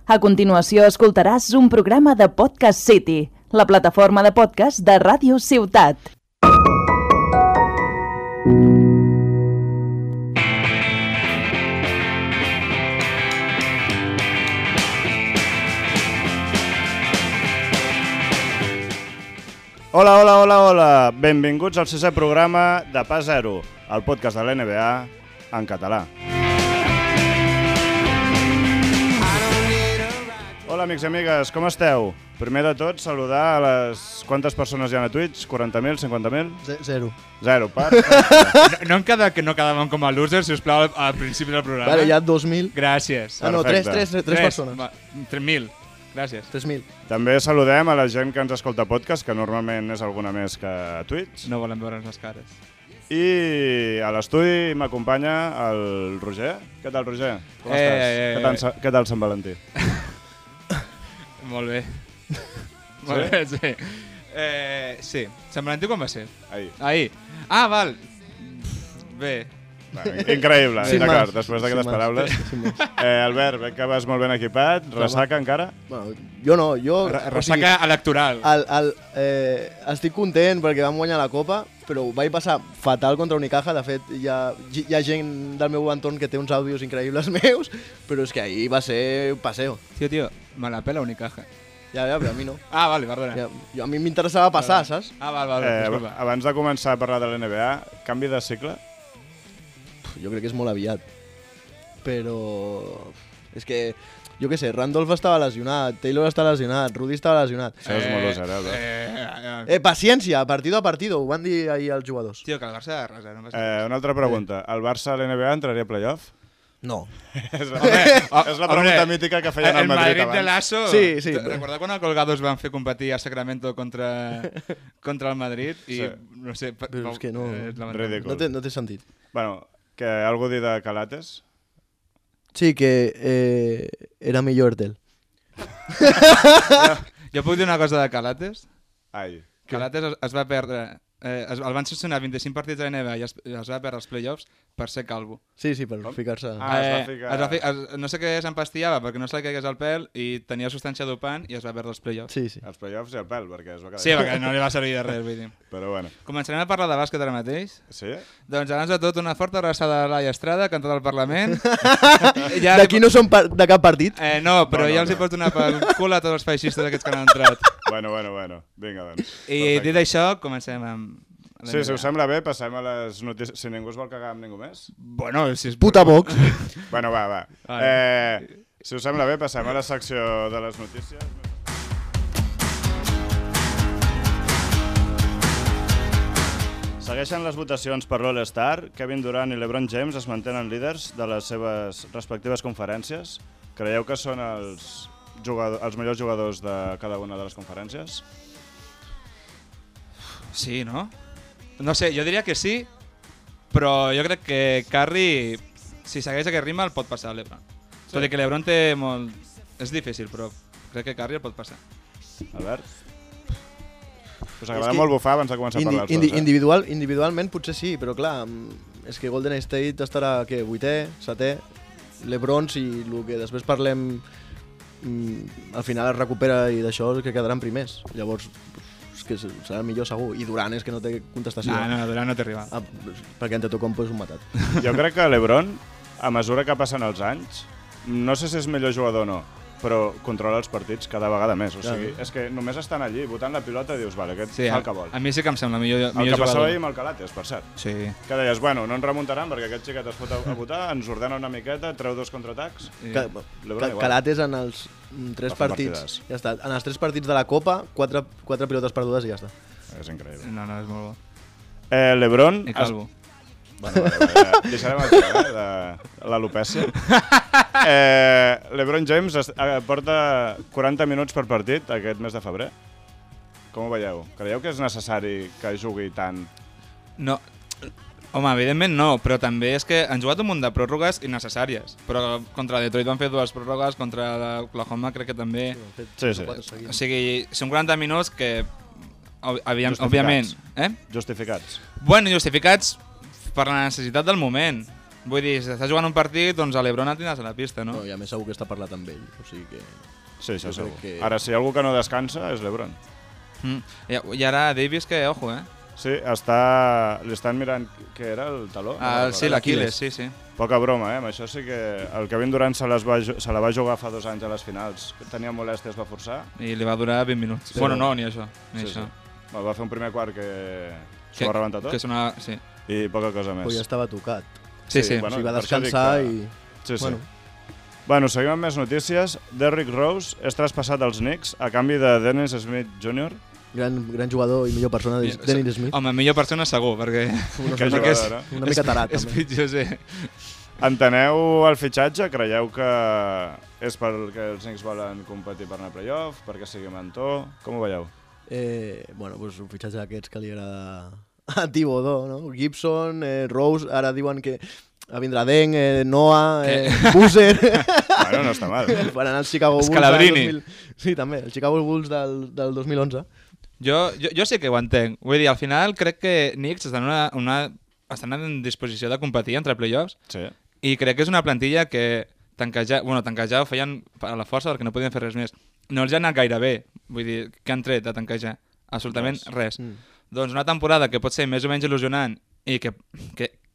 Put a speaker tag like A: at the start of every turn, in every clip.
A: A continuació escoltaràs un programa de Podcast City, la plataforma de podcast de Ràdio Ciutat.
B: Hola, hola, hola, hola! Benvinguts al 6è programa de Pas Zero, el podcast de l'NBA en català. Hola, amics i amigues, com esteu? Primer de tot, saludar a les... Quantes persones hi ha a Twitch? 40.000, 50.000?
C: Zero.
B: Zero,
D: No em queda que no quedàvem com a losers, si us plau, al principi del programa.
C: Vale, hi ha 2.000.
D: Gràcies.
C: Ah, no, tres persones.
D: 3.000. Gràcies.
C: 3.000.
B: També saludem a la gent que ens escolta podcast, que normalment és alguna més que a Twitch.
D: No volem veure'ns les cares.
B: I a l'estudi m'acompanya el Roger. Què tal, Roger? Com estàs? Què tal Sant Valentí?
D: Molt bé. Molt bé, sí. Sí. Sant Valentí quan va ser?
B: Ahir.
D: Ah, val. Bé.
B: Increïble,
C: Sin
B: d'acord,
C: más.
B: després d'aquestes
C: Sin
B: paraules.
C: más.
B: Albert, veig que vas molt ben equipat. Ressaca encara?
C: Bueno, jo no, jo...
D: Ressaca electoral.
C: Estic content perquè vam guanyar la Copa, però ho vaig passar fatal contra Unicaja. De fet, hi ha gent del meu entorn que té uns àudios increïbles meus, però és que ahir va ser un paseo.
D: Tio, me la pela Unicaja.
C: Ja, però a mi no.
D: Ah, vale, perdona.
C: A mi m'interessava passar, saps?
D: Ah, val, disculpa.
B: Abans de començar a parlar de l'NBA, canvi de cicle?
C: Jo crec que és molt aviat. Però... És que... Jo què sé, Randolph estava lesionat, Taylor està lesionat, Rudy estava lesionat.
B: Això és molt loser, Albert.
C: Paciència, partido a partido, ho van dir ahir els jugadors.
D: Tio, que el Barça de res, no passa.
B: Una altra pregunta. El Barça a l'NBA entraria a playoff?
C: No.
B: És la pregunta mítica que feien al Madrid abans.
D: El Madrid de Lasso.
C: Sí.
D: Recorda quan a Colgados van fer competir a Sacramento contra el Madrid? I no sé...
C: Però és que no...
B: Ridícul.
C: No té sentit.
B: Bueno, que algú dir de Calates?
C: Sí, que era millor Ertel.
D: Jo puc dir una cosa de Calates?
B: Ai.
D: Calates es va perdre... el van sancionar 25 partits a la NBA i es va perdre els playoffs per ser calvo.
C: Sí, per ficar-se...
B: Es va ficar...
D: no sé què s'empastillava perquè no se li caigués el pèl i tenia substància dopant i es va perdre els playoffs.
C: Sí.
B: Els playoffs i el pèl, perquè es va quedar...
D: Sí, perquè no li va servir de res, vull dir.
B: Però bueno.
D: Començarem a parlar de bàsquet ara mateix.
B: Sí?
D: Doncs abans de tot una forta abraçada a Laia Estrada, cantant al Parlament.
C: D'aquí no som de cap partit?
D: No, però ja els hi pots donar pel cul a tots els feixistes aquests que han entrat.
B: Bueno. Vinga, doncs.
D: I dit això, comencem amb...
B: Sí, si us sembla bé, passem a les notícies. Si ningú es vol cagar amb ningú més.
D: Bueno, si és...
C: Puta Vox.
B: Bueno, va. Si us sembla bé, passem a la secció de les notícies. Segueixen les votacions per l'All-Star. Kevin Durant i LeBron James es mantenen líders de les seves respectives conferències. Creieu que són els millors jugadors de cada una de les conferències?
D: Sí, no? No sé, jo diria que sí, però jo crec que Curry, si segueix aquest ritme, el pot passar a LeBron. Sí. Tot i que LeBron té molt... És difícil, però crec que Curry el pot passar.
B: Albert? Us agrada molt bufar abans de començar a parlar els dos,
C: Individualment potser sí, però clar, és que Golden State estarà, què, 8è, 7è, LeBron, si el que després parlem al final es recupera i d'això que quedaran primers. Llavors... que serà millor segur, i Durant és que no té contestació.
D: No, Durant no té rival.
C: Perquè Antetokounmpo és un matat.
B: Jo crec que LeBron, a mesura que passen els anys, no sé si és millor jugador o no, però controla els partits cada vegada més. O sigui, és que només estan allí, botant la pilota i dius, vale, aquest fa el que vol.
D: A mi sí que em sembla millor jugador.
B: El que passava ahir amb el Calates, per cert.
D: Sí.
B: Que deies, bueno, no ens remuntaran perquè aquest xiquet es fot a votar, ens ordena una miqueta, treu 2 contraatacs.
C: Calates en els 3 partits. Ja està. En els 3 partits de la Copa, 4 pilotes perdudes i ja està.
B: És increïble.
D: No, és molt bo.
B: LeBron...
D: I calvo.
B: Bueno, deixarem aquí, de l'alopècia. LeBron James porta 40 minuts per partit aquest mes de febrer. Com ho veieu? Creieu que és necessari que jugui tant?
D: No, home, evidentment no, però també és que han jugat un munt de pròrrogues innecessàries. Però contra Detroit van fer 2 pròrrogues, contra l'Oklahoma crec que també.
B: Sí.
D: O sigui, són 40 minuts que, òbviament...
B: Justificats.
D: Bueno, justificats per la necessitat del moment. Vull dir, si estàs jugant un partit, doncs a l'Ebron el tindràs a la pista, no?
C: No, i a més segur que està parlat amb ell, o sigui que...
B: Sí, això
C: Jo
B: segur.
C: crec que-
B: Ara, si hi ha algú que no descansa, és l'Ebron.
D: I ara Davis, que ojo,
B: Sí, li estan mirant què era, el taló?
D: Sí, l'Aquiles, sí.
B: Poca broma, amb això sí que el Kevin Durant se la va jugar fa 2 anys a les finals. Tenia molèsties, va forçar.
D: I li va durar 20 minuts. Bueno, no, ni això. Ni
B: Sí,
D: això.
B: sí. Va fer un primer quart que s'ho va rebentar tot
D: Que és una... Sí.
B: i poca cosa més.
C: Però ja estava tocat.
D: Sí, sí.
B: bueno,
C: O sigui, va
B: per això dic
C: descansar
B: que-
C: i...
B: Sí, sí.
C: Bueno.
B: Bueno, seguim amb més notícies. Derrick Rose és traspassat als Knicks a canvi de Dennis Smith Jr.
C: Gran jugador i millor persona, Dennis Smith.
D: Home, millor persona segur, perquè...
B: Que
D: és-
B: jugador, eh?
C: Una mica tarat,
D: És
C: també.
D: pitjor, sí.
B: Enteneu el fitxatge? Creieu que és perquè els Knicks volen competir per anar a playoff, perquè sigui mentor? Com ho veieu?
C: Bueno, doncs un fitxatge d'aquests que li agrada a Thibodeau, no? Gibson, Rose, ara diuen que vindrà Deng, Noah, Boozer...
B: Bueno, no està mal.
C: Faran el Chicago Bulls
D: Scalabrini.
C: del 2000... Sí, també, el Chicago Bulls del 2011.
D: Jo sí que ho entenc. Vull dir, al final crec que Knicks estan en disposició de competir entre playoffs
B: Sí.
D: i crec que és una plantilla que tanquejar ho feien a la força perquè no podien fer res més. No els ha anat gaire bé. Vull dir, què han tret de tanquejar? Absolutament res. Doncs una temporada que pot ser més o menys il·lusionant i que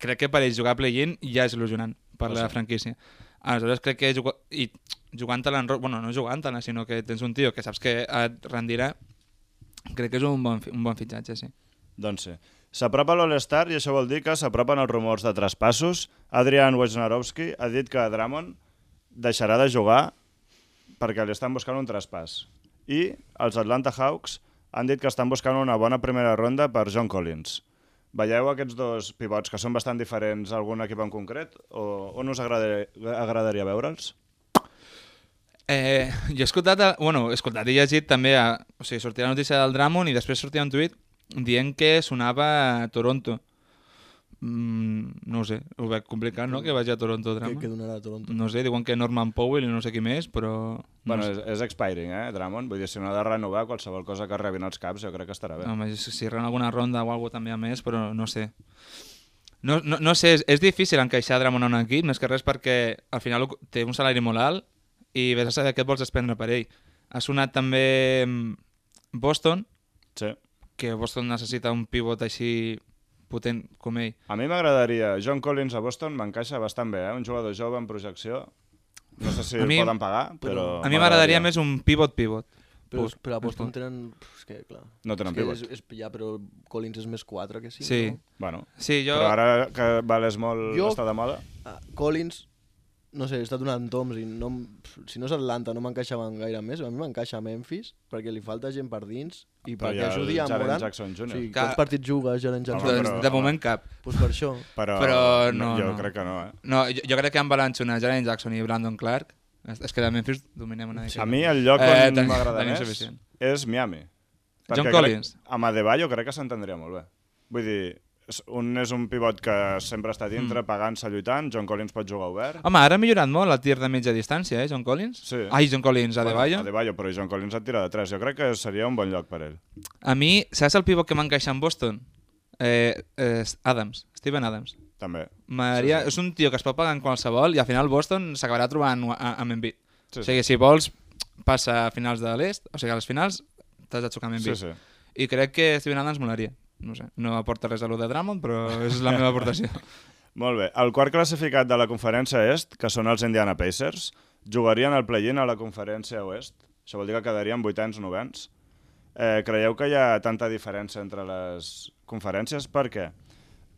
D: crec que per ells jugar a play-in ja és il·lusionant per la franquícia. Aleshores crec que jugant-te-la, bueno, no jugant-te-la, sinó que tens un tio que saps que et rendirà, crec que és un bon fitxatge, sí.
B: Doncs sí. S'apropa l'All-Star i això vol dir que s'apropen els rumors de traspassos. Adrian Wojnarowski ha dit que Drummond deixarà de jugar perquè li estan buscant un traspàs. I els Atlanta Hawks han dit que estan buscant una bona primera ronda per John Collins. Veieu aquests dos pivots que són bastant diferents a algun equip en concret? O on us agradaria veure'ls?
D: Jo he escoltat, he llegit també, o sigui, sortia la notícia del Drummond i després sortia un tuit dient que sonava a Toronto. No ho sé, ho veig complicat, no?, que vagi a Toronto Drummond.
C: Que donarà a Toronto.
D: No sé, diuen que Norman Powell i no sé qui més, però...
B: Bueno, és expiring, Drummond. Vull dir, si no ha de renovar qualsevol cosa que rebin els caps, jo crec que estarà bé.
D: Home, si ren alguna ronda o alguna també a més, però no sé. No sé, és difícil encaixar Drummond en un equip, més que res perquè al final té un salari molt alt i vés a saber què et vols desprendre per ell. Ha sonat també Boston,
B: Sí.
D: que Boston necessita un pivot així potent com ell.
B: A mi m'agradaria. John Collins a Boston m'encaixa bastant bé, Un jugador jove en projecció. No sé si el poden pagar, però...
D: A mi m'agradaria més un pivot.
C: Però a Boston tenen... És que, clar...
B: No tenen pivot.
C: Ja, però Collins és més 4 que 5.
D: Sí.
C: No?
B: Bueno,
D: Sí,
B: però ara que vales molt està de moda...
C: Collins, no sé, he estat donant toms i no, si no és Atlanta no m'encaixaven gaire més. A mi m'encaixa Memphis perquè li falta gent per dins i
B: Però
C: perquè
B: hi ha
C: ajudi a
B: Jaren
C: Morant.
B: Jackson Jr.
C: Sí,
D: Que-
C: quants partits juga Jaren Jackson?
B: Home,
D: Doncs
B: però-
D: de moment cap.
C: Pues per això.
B: Però
D: no,
B: jo
D: no.
B: crec que no,
D: No, jo crec que amb Balanchona, Jaren Jackson i Brandon Clark, és que de Memphis dominem una mica.
B: A mi el lloc on
D: tenim
B: m'agrada més
D: suficient.
B: és Miami.
D: John
B: Perquè
D: Collins.
B: Amb Adebayo crec que s'entendria molt bé. Vull dir, un és un pivot que sempre està dintre, pagant-se, lluitant. John Collins pot jugar obert.
D: Home, ara ha millorat molt el tir de mitja distància, John Collins?
B: Sí.
D: Ai, John Collins, Adebayo.
B: Bueno, Adebayo, però John Collins et tira de 3. Jo crec que seria un bon lloc per ell.
D: A mi, saps el pivot que m'encaixa en Boston? Adams, Steven Adams.
B: També.
D: És un tio que es pot pagar en qualsevol i al final Boston s'acabarà trobant amb Embiid.
B: Sí,
D: O sigui, si vols, passa a finals de l'est, o sigui, a les finals t'has de xocar amb Embiid.
B: Sí.
D: I crec que Steven Adams molaria. No sé, no aporta res a lo de Drummond, però és la meva aportació.
B: Molt bé. El quart classificat de la conferència est, que són els Indiana Pacers, jugarien el play-in a la conferència oest. Això vol dir que quedarien 8ens, 9ens. Creieu que hi ha tanta diferència entre les conferències? Per què?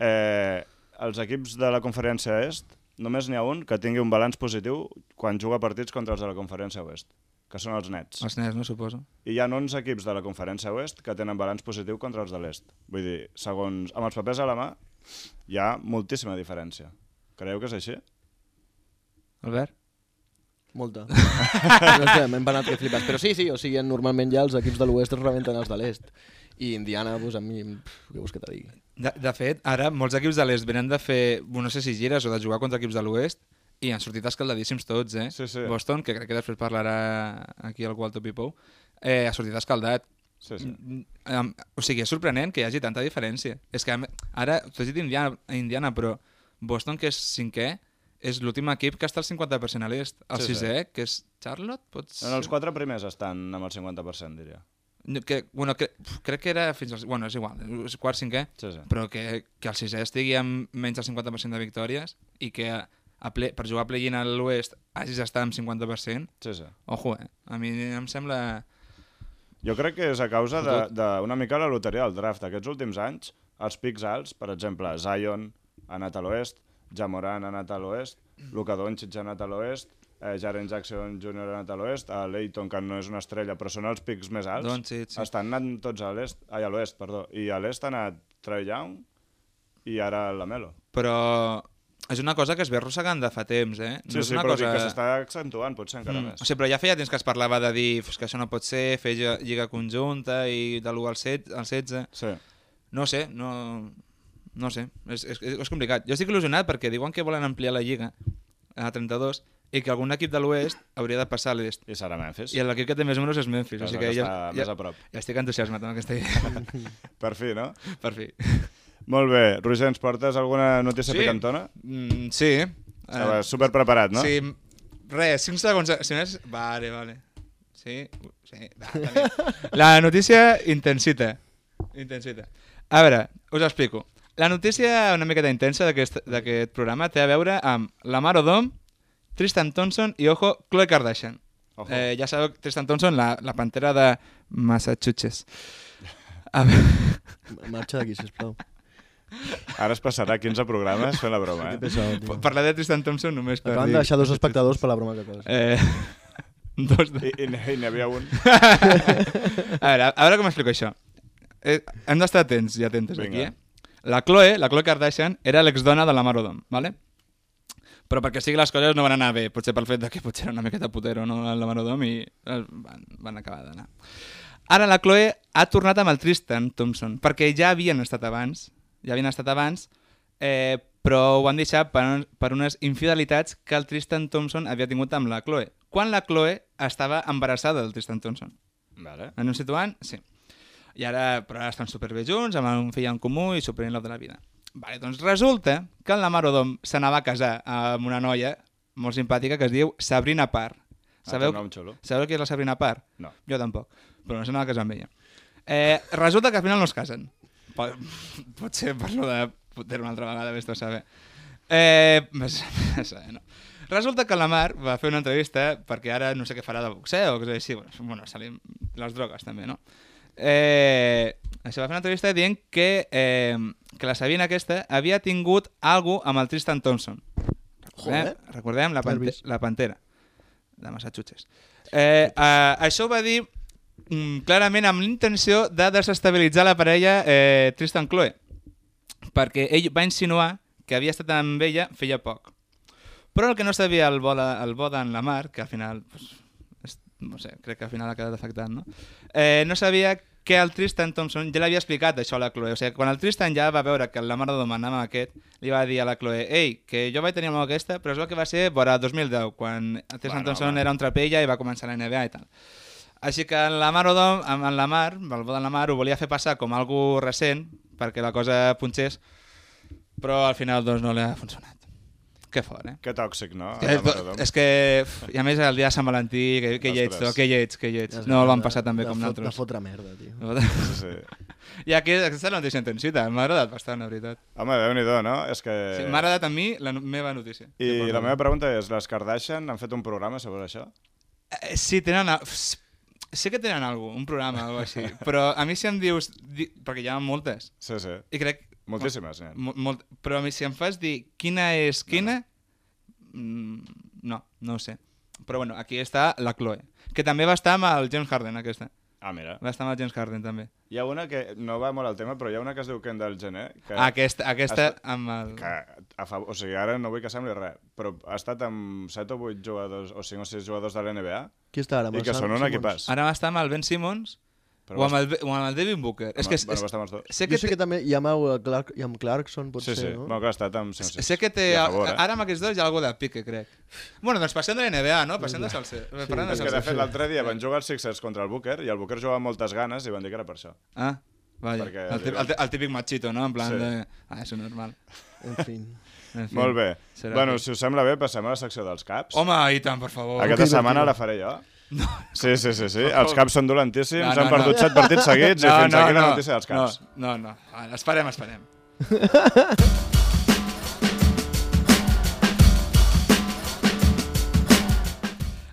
B: Els equips de la conferència est, només n'hi ha un que tingui un balanç positiu quan juga partits contra els de la conferència oest, que són els Nets.
D: Els Nets, no suposo.
B: I hi ha 11 equips de la conferència oest que tenen balanç positiu contra els de l'est. Vull dir, segons amb els papers a la mà, hi ha moltíssima diferència. Creieu que és així?
D: Albert?
C: Molta. No sé, m'hem penat que flipes. Però sí, o sigui, normalment ja els equips de l'oest es rebenten els de l'est. I Indiana, doncs a mi, què vols que te digui?
D: De fet, ara molts equips de l'est venen de fer, no sé si gires o de jugar contra equips de l'oest i han sortit escaldadíssims tots,
B: Sí.
D: Boston, que crec que després parlarà aquí el Walter Pipou, ha sortit escaldat.
B: Sí.
D: O sigui, és sorprenent que hi hagi tanta diferència. És que ara, t'ho has dit Indiana, però Boston, que és 5è, és l'últim equip que està al 50% a l'est. El 6è, que és Charlotte, pots...
B: En els 4 primers estan amb el 50%, diria.
D: Crec que era fins al... Bueno, és igual, és quart, 5è, però que el 6è estigui amb menys del 50% de victòries i que per jugar a play-in a l'oest hagis d'estar amb 50%. Ojo, a mi em sembla...
B: Jo crec que és a causa d'una mica la loteria del draft. Aquests últims anys, els pics alts, per exemple, Zion ha anat a l'oest, Ja Morant ha anat a l'oest, Luka Doncic ha anat a l'oest, Jaren Jackson Jr. ha anat a l'oest, a Leighton, que no és una estrella, però són els pics més alts,
D: Doncic, sí.
B: Estan anant tots a l'est, a l'oest, perdó, i a l'est ha anat Trae Young i ara Lamelo.
D: Però és una cosa que es ve arrossegant de fa temps, eh?
B: No sí, però que s'està accentuant, potser encara més.
D: O sigui, però ja feia temps que es parlava de dir que això no pot ser, fer lliga conjunta i de l'1 al 16.
B: Sí.
D: No sé, no sé, és complicat. Jo estic il·lusionat perquè diuen que volen ampliar la lliga a 32 i que algun equip de l'oest hauria de passar a l'est.
B: I serà Memphis.
D: I l'equip que té més números és Memphis. O sigui que
B: està més a prop.
D: Ja estic entusiasmat amb aquesta idea.
B: Per fi, no?
D: Per fi.
B: Molt bé. Roger, ens portes alguna notícia picantona?
D: Sí.
B: Estaves superpreparat, no?
D: Sí. Res, 5 segons... Si més... Vale. Sí. La notícia intensita. A veure, us explico. La notícia una miqueta intensa d'aquest programa té a veure amb Lamar Odom, Tristan Thompson i, ojo, Khloe Kardashian. Ja sabeu, Tristan Thompson, la pantera de Massachusetts.
C: Marxa d'aquí, sisplau.
B: Ara es passarà 15 programes fent la broma,
D: Parlar de Tristan Thompson només per dir...
C: Acaben de deixar 2 espectadors per la broma que acabes.
B: I n'hi havia un.
D: A veure com explico això. Hem d'estar atents i atentes aquí, La Khloe Kardashian, era l'exdona de Lamar Odom, ¿vale? Però perquè sigui les coses no van anar bé, potser pel fet que potser era una miqueta putero, no, el Lamar Odom, i van acabar d'anar. Ara la Khloe ha tornat amb el Tristan Thompson, perquè ja havien estat abans, però ho van deixar per unes infidelitats que el Tristan Thompson havia tingut amb la Khloe, quan la Khloe estava embarassada del Tristan Thompson.
B: Vale.
D: En un situant? Sí. Però ara estan superbé junts, amb un fill en comú i super in love de la vida. Vale, doncs resulta que el Lamar Odom s'anava a casar amb una noia molt simpàtica que es diu Sabrina Parr. Sabeu qui és la Sabrina Parr?
B: No.
D: Jo tampoc, però no s'anava a casar amb ella. Resulta que al final no es casen. Potser parlo de poder una altra vegada, vés-te a saber. No. Resulta que la Mar va fer una entrevista perquè ara no sé què farà de boxeo o cosa així. Bueno, salim les drogues també, no? Això va fer una entrevista dient que la Sabina aquesta havia tingut alguna cosa amb el Tristan Thompson. Recordem la pantera de Massachusetts. Això ho va dir clarament amb l'intenció de desestabilitzar la parella Tristan-Khloe, perquè ell va insinuar que havia estat amb ella feia poc. Però el que no sabia el bo d'en Lamar, que al final... no sé, crec que al final ha quedat afectat, no? No sabia que el Tristan Thompson ja l'havia explicat això a la Khloe. O sigui, quan el Tristan ja va veure que el Lamar Odom anava amb aquest, li va dir a la Khloe, ei, que jo vaig tenir amb aquesta, però és el que va ser vora 2010, quan el Tristan Thompson era un trapella i va començar la NBA i tal. Així que el Lamar Odom, amb el Lamar, el bo de Lamar, ho volia fer passar com algo recent, perquè la cosa punxés, però al final doncs no li ha funcionat. Que fort,
B: Que tòxic, no?
D: És que, i a més el dia de Sant Valentí, que lleig. No el van passar tan bé com nosaltres.
C: De fotre merda, tio.
B: Sí.
D: I aquesta és la notícia intensita, m'ha agradat bastant, la veritat.
B: Home, Déu-n'hi-do, no?
D: Sí, m'ha agradat a mi la meva notícia.
B: I la meva pregunta és, les Kardashian han fet un programa sobre això?
D: Sí, sé que tenen un programa o així, però a mi si em dius... Perquè hi ha moltes.
B: Sí.
D: I crec...
B: Moltíssimes,
D: però a mi si em fas dir quina és quina... No ho sé. Però bueno, aquí està la Khloe, que també va estar amb el James Harden, aquesta.
B: Ah, mira.
D: Va estar amb el James Harden, també.
B: Hi ha una que no va molt al tema, però hi ha una que es diu Kendall Jenner.
D: Aquesta amb el...
B: O sigui, ara no vull que sembli res, però ha estat amb 7 o 8 jugadors, o 5 o 6 jugadors de l'NBA.
C: Qui està ara?
B: I que són un equipàs.
D: Ara va estar amb el Ben Simmons o amb el Devin Booker.
B: Va estar amb els dos.
C: Jo sé que també hi ha amb Clarkson, potser,
B: sí.
C: no?
B: Bueno, que ha estat amb 5 o 6.
D: Sé que té... Ara amb aquests dos hi ha alguna de pique, crec. Bueno, doncs passem de l'NBA, no? Passem de Salser.
B: És que de fet l'altre dia van jugar els Sixers contra el Booker i el Booker jugava amb moltes ganes i van dir que era per això.
D: Ah, vaja. El típic machito, no? En plan de... això és normal.
C: En fi.
D: En fi,
B: Molt bé.
D: serà
B: Bueno,
D: aquí.
B: si us sembla bé, passem a la secció dels caps.
D: Home, i tant, per favor.
B: Aquesta setmana la faré jo.
D: No.
B: Sí. Els caps són dolentíssims,
D: No,
B: han perdut 7 partits seguits i fins aquí la notícia dels caps.
D: No. Esperem.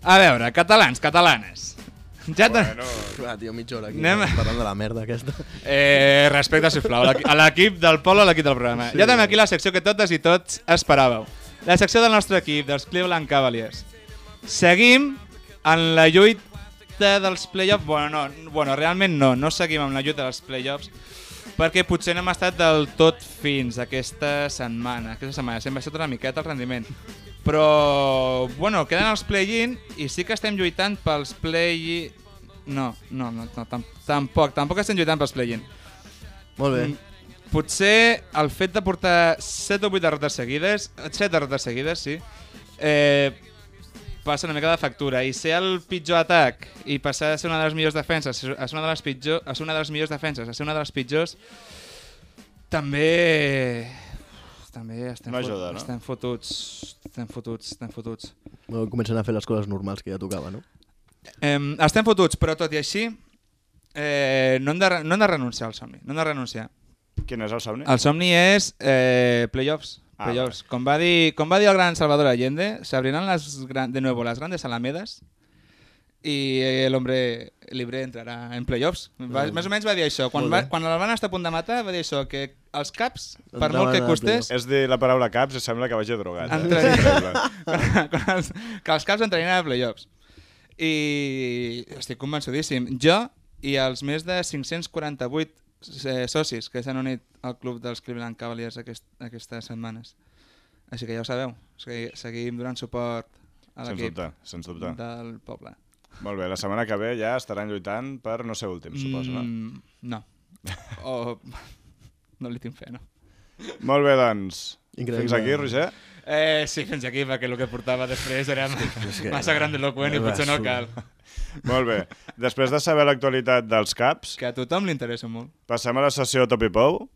D: A veure, catalanes. Ja
B: Bueno,
C: Clar, tio, mitja hora aquí
D: Anem-
C: parlant de la merda aquesta.
D: Respecte, sisplau, a l'equip del Pol, a l'equip del programa. Ja tenim aquí la secció que totes i tots esperàveu. La secció del nostre equip, dels Cleveland Cavaliers. Seguim en la lluita dels playoffs. Bueno, realment no seguim en la lluita dels playoffs perquè potser no hem estat del tot fins aquesta setmana. S'hem baixat una miqueta el rendiment. Però, bueno, queden els play-in i sí que estem lluitant pels play-in... No, tampoc estem lluitant pels play-in.
C: Molt bé.
D: Potser el fet de portar 7 o 8 derrotes seguides, 7 derrotes seguides, sí, passa una mica de factura. I ser el pitjor atac i passar a ser una de les millors defenses, a ser una de les millors defenses, a ser una de les pitjors, també estem,
B: No ajuda, no?
D: estem fotuts.
C: Bueno, comencen a fer les coses normals que ja tocava, no?
D: Estem fotuts, però tot i així no hem de renunciar al somni. No hem de renunciar.
B: quin és el somni?
D: El somni és playoffs. Playoffs. Com va dir el gran Salvador Allende, se abrirán de nuevo las grandes alamedas y el hombre libre entrará en playoffs. Més o menys va dir això. Quan el van estar a punt de matar, va dir això, que els caps, per molt que costés...
B: És dir la paraula caps i sembla que vagi drogat.
D: Que els caps entrarien a playoffs. I estic convençudíssim. Jo i els més de 548 socis que s'han unit al club dels Cleveland Cavaliers aquestes setmanes. Així que ja ho sabeu, seguim donant suport a l'equip
B: Sens dubte.
D: del poble.
B: Molt bé, la setmana que ve ja estaran lluitant per no ser últims, suposo, no?
D: No. O... no li tinc fe, no?
B: Molt bé, doncs.
C: Increïble.
B: Fins aquí, Roger?
D: Sí, fins aquí, perquè el que portava després era massa grandiloquent i potser no cal.
B: Molt bé. Després de saber l'actualitat dels caps,
D: Que a tothom li interessa molt.
B: passem a la sessió Top i Pou.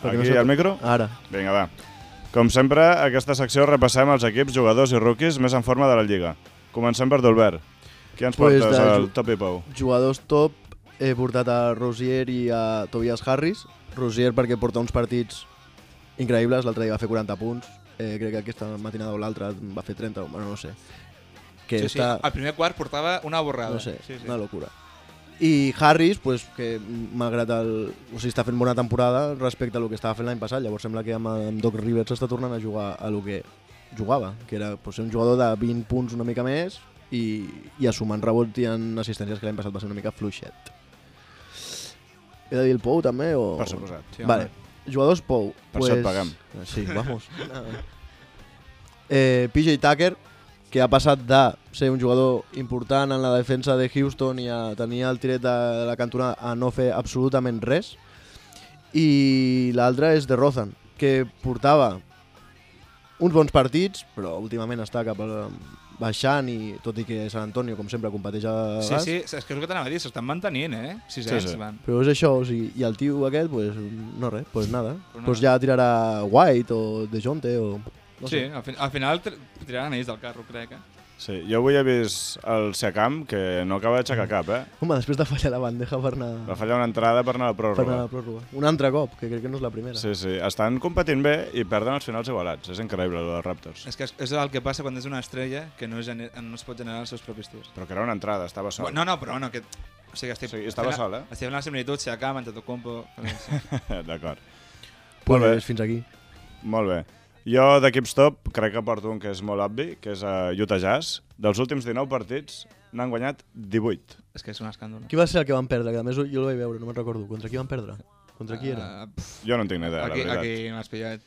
C: Perquè no
B: Aquí
C: sóc-
B: al micro?
C: Ara.
B: Vinga, va. Com sempre, a aquesta secció repassem els equips, jugadors i rookies més en forma de la Lliga. Comencem per Dolbert. Qui ens
C: Pues
B: portes
C: de
B: al Top i Pou?
C: Jugadors top, he portat a Rozier i a Tobias Harris. Rozier perquè porta uns partits increïbles, l'altre dia va fer 40 punts, crec que aquesta matinada o l'altra va fer 30, bueno, no sé. Que
D: Sí,
C: està,
D: el primer quart portava una borrada.
C: no sé,
D: Sí.
C: una locura. I Harris, pues, que malgrat està fent bona temporada respecte a lo que estava fent l'any passat, llavors sembla que amb Doc Rivers està tornant a jugar a lo que jugava, que era pues, ser un jugador de 20 punts una mica més i assumant rebots i en assistències que l'any passat va ser una mica fluixet. He de dir el Pou també? O...
B: Per suposat.
D: Sí, home.
C: Vale, jugadors Pou.
B: Per això et paguem.
C: Sí, vamos. PJ Tucker, que ha passat de ser un jugador important en la defensa de Houston i a tenir el tiret de la cantonada a no fer absolutament res. I l'altre és de Rozan, que portava uns bons partits, però últimament està cap a baixant i tot i que San Antonio, com sempre, competeix a gas.
D: Sí, és que és el que t'anava a dir, s'estan mantenint,
B: Sí.
D: van.
C: Però és això, o sigui, i el tio aquest, pues, no res, pues nada.
D: Pues
C: Pues
D: nada.
C: ja tirarà White o DeJounte o... No
D: Sí,
C: sé.
D: al final tiraran ells del carro, crec.
B: Sí, jo avui he vist el Siakam, que no acaba d'aixecar cap,
C: Home, després de fallar la bandeja per anar,
B: Va fallar una entrada per anar a la
C: per anar a
B: pròrroga.
C: la pròrroga. Un altre cop, que crec que no és la primera.
B: Sí, estan competint bé i perden els finals igualats. És increïble, el dels Raptors.
D: És que és el que passa quan és una estrella que no es pot generar els seus propis tirs.
B: Però que era una entrada, estava sol.
D: No, però no, que... O sigui,
B: estava sol,
D: Estic fent la similitud, Siakam, Antetokounmpo...
B: D'acord.
C: Pues
B: Molt bé.
C: fins aquí.
B: Molt bé. Jo d'equips top crec que porto un que és molt obvi, que és Utah Jazz. Dels últims 19 partits n'han guanyat 18.
D: És que és un escàndol.
C: Qui va ser el que van perdre? Que a més jo el vaig veure, no me'n recordo. Contra qui van perdre? Contra qui era?
B: Jo no en tinc ni idea, la veritat.
D: Aquí m'has pillat.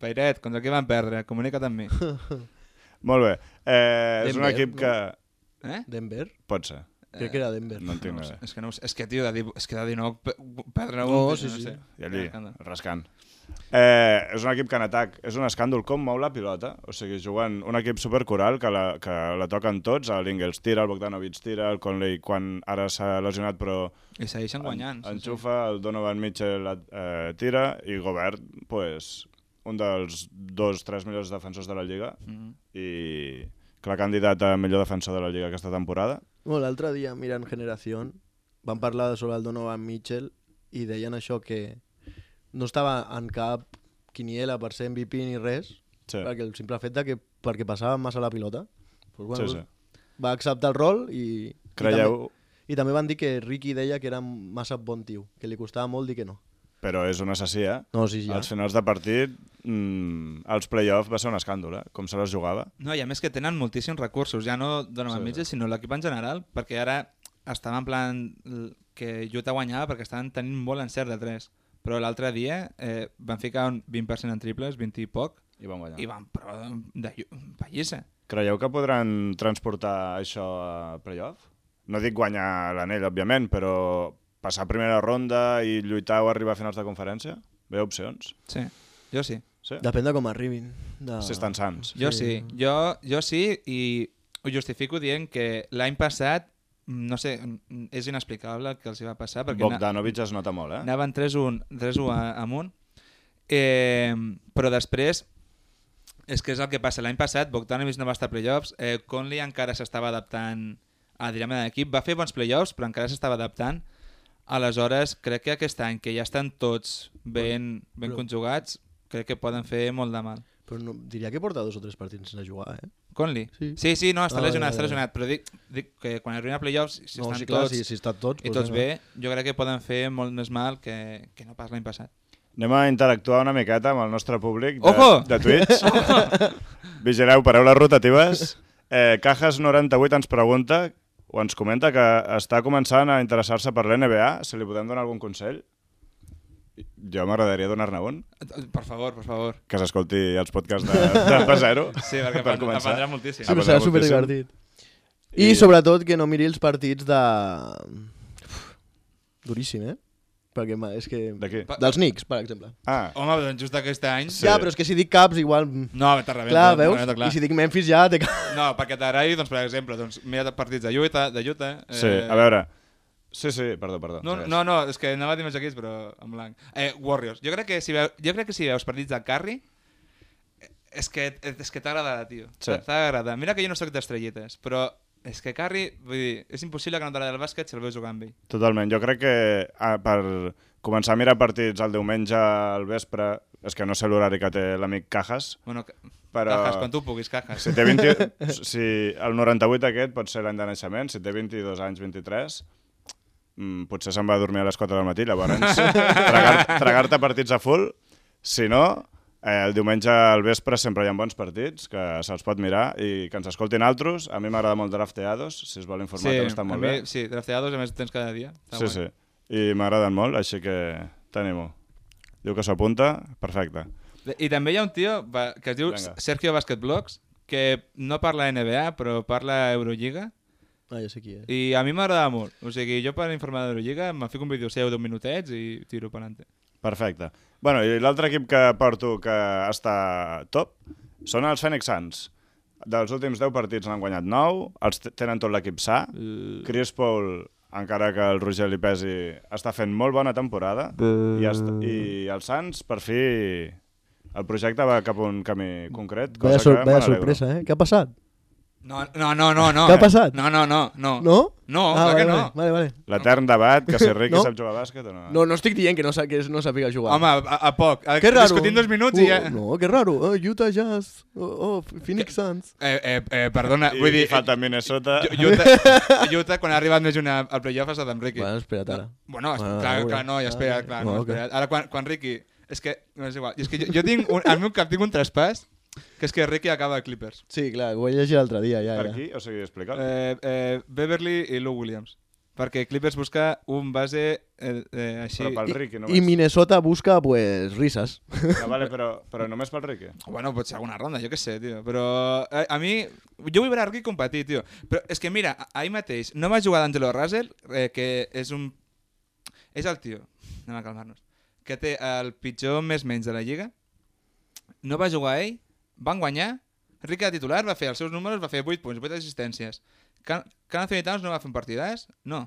D: Pairet, contra qui van perdre? Comunica't amb mi.
B: Molt bé. És un
C: Denver,
B: equip
C: no?
B: que...
D: Eh?
C: Denver?
B: Pot ser.
C: Crec que era Denver.
B: No en tinc
D: No
B: no
D: sé.
B: idea.
D: És que, no, és que tio, és que de 19 perdre un...
C: No, sí, sí.
D: sé.
B: I allí,
D: Escàndol.
B: rascant. És un equip que en atac és un escàndol com mou la pilota. O sigui, jugant un equip supercoral que la toquen tots. L'Ingles tira, el Bogdanovic tira, el Conley quan ara s'ha lesionat però
D: I segueixen guanyant.
B: enxufa, el Donovan Mitchell tira i Gobert, pues, un dels 2-3 millors defensors de la Lliga i clar candidat a millor defensor de la Lliga aquesta temporada.
C: Bueno, l'altre dia, mirant Generación, van parlar sobre el Donovan Mitchell i deien això que no estava en cap quiniela per ser MVP ni res,
B: Sí.
C: perquè el simple fet de que perquè passava massa la pilota, pues, bueno,
B: Sí, sí.
C: va acceptar el rol i
B: Creieu,
C: i també van dir que Ricky deia que era massa bon tio, que li costava molt dir que no.
B: però és un assassí, eh?
C: No, sí, ja.
B: Als finals de partit, als play-off va ser un escàndol, com se les jugava.
D: No, i a més que tenen moltíssims recursos, ja no Donovan Mitchell, sinó l'equip en general, perquè ara estava en plan que Utah guanyava perquè estaven tenint molt encert de 3, però l'altre dia van ficar un 20% en triples, 20 i poc,
B: I van guanyar.
D: i van però de pallissa.
B: Creieu que podran transportar això a play-off? No dic guanyar l'anell, òbviament, però passar a primera ronda i lluitar o arribar a finals de conferència? Veieu opcions?
D: Sí, jo sí.
B: Sí?
C: Depèn de com arribin.
B: Si estan sants.
D: Jo sí, jo sí, i ho justifico dient que l'any passat, no sé, és inexplicable el que els hi va passar, perquè
B: Bogdanovic es nota molt,
D: anaven 3-1 amunt, però després, és que és el que passa, l'any passat Bogdanovic no va estar a playoffs, Conley encara s'estava adaptant a dinàmica d'equip, va fer bons playoffs, però encara s'estava adaptant. Aleshores, crec que aquest any, que ja estan tots ben conjugats, crec que poden fer molt de mal.
C: Però no, diria que porta 2 o 3 partits sense jugar, eh?
D: Conley?
C: Sí.
D: Sí, no, està lesionat,
C: ja.
D: està lesionat, però dic que quan arribin a playoffs, si
C: No,
D: estan
C: sí, clar,
D: tots,
C: si estan tots,
D: i tots bé, jo crec que poden fer molt més mal que no pas l'any passat.
B: Anem a interactuar una miqueta amb el nostre públic
D: Ojo!
B: de Twitch. Vigileu, paraules rotatives. Cajas98 ens pregunta o ens comenta que està començant a interessar-se per l'NBA. Si li podem donar algun consell? Jo m'agradaria donar-ne un.
D: Per favor.
B: Que s'escolti els podcasts de P0.
D: Sí, perquè
B: per començar.
D: aprendrà moltíssim.
C: Sí, però
B: passarà
C: serà superdivertit.
B: I
C: sobretot que no miri els partits de... Duríssim, eh? Perquè és que...
B: De qui?
C: Dels Knicks, per exemple.
B: Ah,
D: Home, doncs just aquest any...
B: Sí.
C: Ja, però és que si dic Caps, igual...
D: No, te rebenta.
C: Clar, veus?
D: Clar.
C: I si dic Memphis ja...
D: No, perquè t'agradi, doncs, per exemple, doncs, mira partits de Utah.
B: sí, a veure. Sí, perdó.
D: No,
B: segueix.
D: no, és que anava a dir més equips, però en blanc. Warriors. Jo crec que si veus partits de Curry, és que t'agradarà, tio.
B: Sí.
D: T'agradarà. Mira que jo no soc d'estrellites, però és que Curry, vull dir, és impossible que no t'agradi el bàsquet si el veus jugar amb ell.
B: Totalment. Jo crec que per començar a mirar partits el diumenge al vespre, és que no sé l'horari que té l'amic Cajas,
D: Bueno,
B: però...
D: Cajas, quan tu puguis, Cajas.
B: Si té si el 98 aquest pot ser l'any de naixement, si té 22 anys, 23, potser se'n va a dormir a les 4 del matí, llavors tragar-te partits a full. Si no, el diumenge al vespre sempre hi ha bons partits que se'ls pot mirar i que ens escoltin altres. A mi m'agrada molt Drafteados, si es vol informar que està molt bé.
D: Sí, Drafteados a més tens cada dia. Està
B: Sí,
D: guai.
B: sí. I m'agraden molt, així que t'animo. Diu que s'apunta, perfecte.
D: I també hi ha un tio que es diu
B: Vinga.
D: Sergio Basketblogs, que no parla NBA, però parla Eurolliga,
C: Ah, ja sé qui és.
D: i a mi m'agrada molt. O sigui, jo per informar d'Eurolliga me fico un vídeo seu d'1 minutets i tiro per endavant.
B: Perfecte. Bueno, i l'altre equip que porto que està top són els Phoenix Suns. Dels últims 10 partits n'han guanyat 9, tenen tot l'equip sa. Chris Paul, encara que el Roger li pesi, està fent molt bona temporada. I els Suns, per fi, el projecte va cap a un camí concret.
C: Vaya
B: Cosa que me n'alegro.
C: sorpresa, eh? Què ha passat?
D: No.
C: Què ha passat?
D: No.
C: No?
D: No, clar que no.
C: Vale.
B: L'etern debat que si Ricky
C: No?
B: sap jugar a bàsquet o no.
C: No estic dient que no sàpiga jugar.
D: Home, a poc.
C: Que raro.
D: Discutint 2 minuts i ja...
C: No, que raro. Utah Jazz. Phoenix Suns.
D: Perdona, vull dir...
B: I falta Minnesota.
D: Utah, quan ha arribat més una al playoff, ha estat amb Ricky.
C: Bueno, espera't ara.
D: Bueno,
C: Bueno,
D: clar, no, ja espera, clar, no,
C: ok.
D: espera. Ara, quan Ricky... És que, no és igual. És que jo tinc, al meu cap tinc un traspàs, que és que Ricky acaba a Clippers.
C: Sí, clar, ho vaig llegir l'altre dia. Ja.
B: Per aquí? O sigui, explica'l.
D: Beverly i Lou Williams. perquè Clippers busca un base així...
B: Però pel Ricky
C: I
B: només.
C: Minnesota busca, pues, risas.
B: Vale, però només pel Ricky.
D: Bueno, pot ser alguna ronda, jo què sé, tio. Però a mi... Jo vull veure Ricky competir, tio. Però és que mira, ahir mateix no va jugar d'Angelo Russell, que és un... És el tio, anem a calmar-nos, que té el pitjor més-menys de la Lliga. No va jugar ell, van guanyar, Ricky de titular va fer els seus números, va fer 8 punts, 8 assistències. Carl Anthony Towns no va fer un partidàs? No.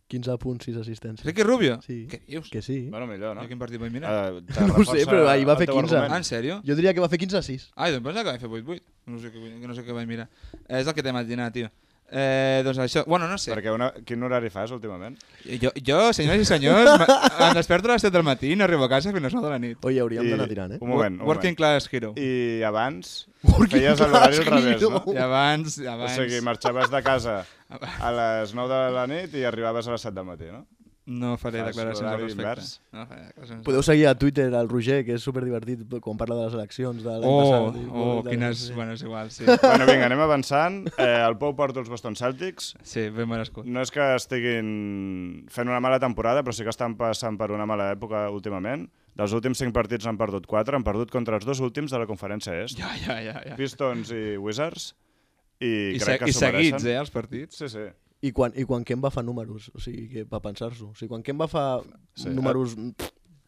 C: 15 punts, 6 assistències.
D: Ricky Rubio?
C: Sí.
D: Què dius?
C: Que sí.
B: Bueno, millor, no?
D: Jo quin partit vaig mirar?
C: No ho sé, però ahir va fer 15.
D: Ah, en sèrio?
C: Jo diria que va fer 15 a 6.
D: Ai, doncs pensava que vaig fer 8-8. No sé què vaig mirar. És el que t'he imaginat, tio. Doncs això... Bueno, no sé.
B: Perquè quin horari fas últimament?
D: Jo, senyores i senyors, em desperto a les 7 del matí i no arribo a casa fins a les 9 de la nit.
C: Oi, hauríem d'anar tirant,
B: Un moment.
D: Working class hero.
B: I abans feies l'horari al revés, no?
D: I abans...
B: O sigui, marxaves de casa a les 9 de la nit i arribaves a les 7 del matí, no?
D: No faré
B: Fas
D: declaracions al
B: l'horari
D: respecte.
B: invers.
D: No faré declaracions.
C: Podeu seguir a Twitter al Roger, que és superdivertit quan parla de les eleccions de l'any passat.
D: Quines... Bueno, és igual, sí.
B: Bueno, vinga, anem avançant. El Pou porta els Boston Celtics.
D: Sí, ben merescut.
B: No és que estiguin fent una mala temporada, però sí que estan passant per una mala època últimament. Dels últims 5 partits n'han perdut 4, han perdut contra els 2 últims de la conferència est.
D: Ja.
B: Pistons i Wizards. I crec que
D: I
B: s'ho mereixen.
D: seguits, els partits.
B: Sí.
C: I quan Kemba fa números, o sigui, que per pensar-s'ho. O sigui, quan Kemba fa números,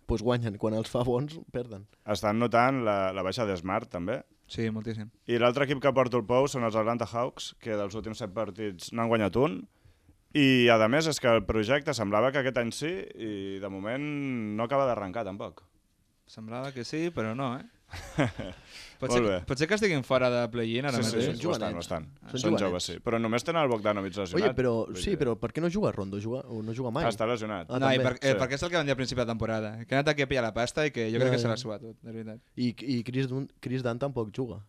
C: pues guanyen. Quan els fa bons, perden.
B: Estan notant la baixa de Smart, també.
D: Sí, moltíssim.
B: I l'altre equip que porta el Pou són els Atlanta Hawks, que dels últims 7 partits n'han guanyat un. I, a més, és que el projecte semblava que aquest any sí, i de moment no acaba d'arrencar, tampoc.
D: Semblava que sí, però no, Pot
B: Molt
D: ser que estiguin fora de play-in ara mateix?
B: Sí, ho estan.
C: Són
B: Són
C: jovenets.
B: joves, sí. Però només tenen el Bogdanovic lesionat.
C: Oye, però per què no juga Rondo? No juga mai.
B: Està lesionat.
C: Ah,
D: No,
C: també.
D: perquè és el que van dir al principi de la temporada. Que ha anat aquí a pillar la pasta i que jo crec que se l'ha suat tot, de veritat.
C: I Chris Dunn tampoc juga.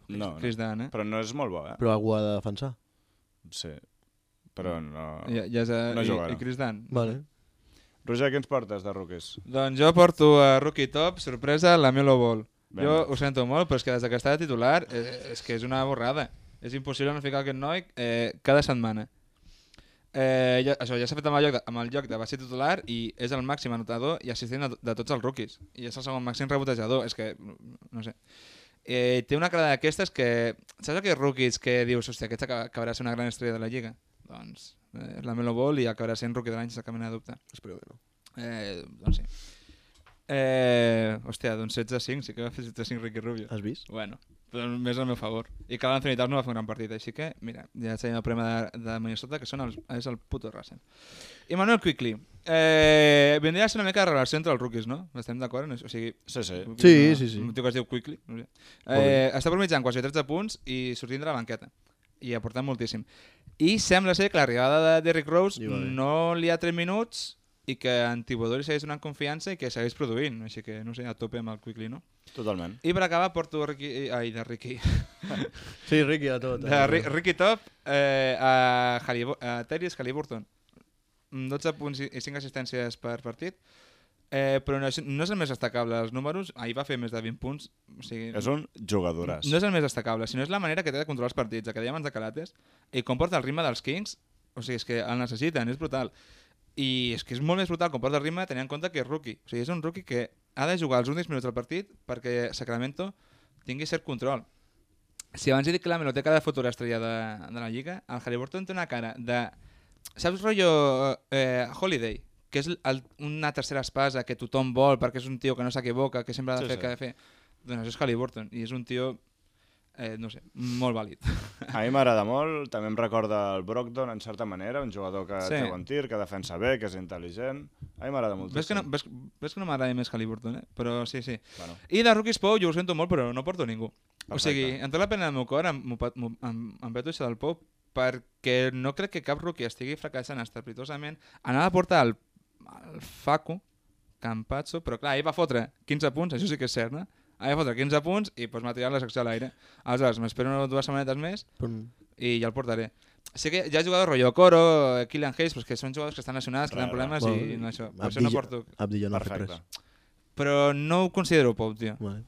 B: No,
D: Chris Dunn,
B: però no és molt bo,
C: Però algú ha de defensar.
B: Sí, però no...
D: Ja
B: no jugarà.
D: I Chris Dunn.
C: Vale.
B: Roger, què ens portes de rookies?
D: Doncs jo porto a Rookie Top, sorpresa, la Melo Ball.
B: Vinga.
D: Jo ho sento molt, però és que des que està de titular és que és una borrada. És impossible no ficar aquest noi cada setmana. Això ja s'ha fet amb el lloc de base titular i és el màxim anotador i assistent de tots els rookies. I és el segon màxim rebotejador. És que, no sé... té una cara d'aquestes que... Saps aquells rookies que dius, hòstia, aquest acabarà sent una gran estrella de la Lliga? Doncs la Melo Ball i acabarà sent rookie de l'any sense cap mena de dubte.
C: Espero que no.
D: Doncs sí. Hòstia, doncs 16-5, sí que va fer 16-5 Ricky Rubio.
C: Has vist?
D: Bueno, però més al meu favor. I Carl Anthony Towns no va fer un gran partit, així que, mira, ja tenim el problema de Minnesota, que és el puto Russell. I Manuel Quickley. Vindria a ser una mica de relació entre els rookies, no? Estem d'acord? O sigui,
B: Sí.
C: Sí.
D: un tio que es diu Quickley. No sé. Està mitjant quasi 13 punts i sortint de la banqueta. I aportant moltíssim. I sembla ser que l'arribada de Derrick Rose no li ha 3 minuts i que en Thibodeau li segueix donant confiança i que segueix produint. Així que, no sé, a tope amb el Quickley, no?
B: Totalment.
D: I per acabar porto Ricky...
C: Sí, Ricky a tot.
D: Ricky Top a Tyrese Haliburton. 12 punts i 5 assistències per partit. Però no és el més destacable dels números. Ahir va fer més de 20 punts. O sigui,
B: És un jugadoràs.
D: no és el més destacable, sinó és la manera que té de controlar els partits, que dèiem abans de Calates, i com porta el ritme dels Kings. O sigui, és que el necessiten, és brutal. I és que és molt més brutal com porta el ritme tenint en compte que és rookie. O sigui, és un rookie que ha de jugar els últims minuts del partit perquè Sacramento tingui cert control. Si abans he dit que la Melo té cara de futura estrella de la Lliga, el Haliburton té una cara de... Saps rotllo Holiday? Que és una tercera espasa que tothom vol perquè és un tio que no s'equivoca, que sempre ha de fer el que ha de fer. Doncs això és Haliburton i és un tio, no sé, molt vàlid.
B: A mi m'agrada molt, també em recorda el Brogdon en certa manera, un jugador que
D: Sí.
B: té bon tir, que defensa bé, que és intel·ligent. A mi m'agrada moltíssim.
D: Ves que no m'agrada més Haliburton, però sí.
B: Bueno,
D: I de Rookies Pou jo ho sento molt, però no porto ningú. O
B: Perfecte.
D: sigui, en tota la pena del meu cor em veto això del Pou perquè no crec que cap rookie estigui fracassant estrepitosament. Anava a portar el Facu Campazzo, però clar, ell va fotre 15 punts, això sí que és cert, no? Va fotre 15 punts i doncs m'ha tirat la secció a l'aire. Aleshores, m'espero 2 setmanetes més i ja el portaré. Sé que hi ha jugadors rotllo Coro, Killian Hayes, però que són jugadors que estan lesionats, que tenen problemes i no això. Per això no porto...
C: Abdi ja no ha fet
B: perfecte.
C: res.
D: Però no ho considero Pou, tio.
C: Vale.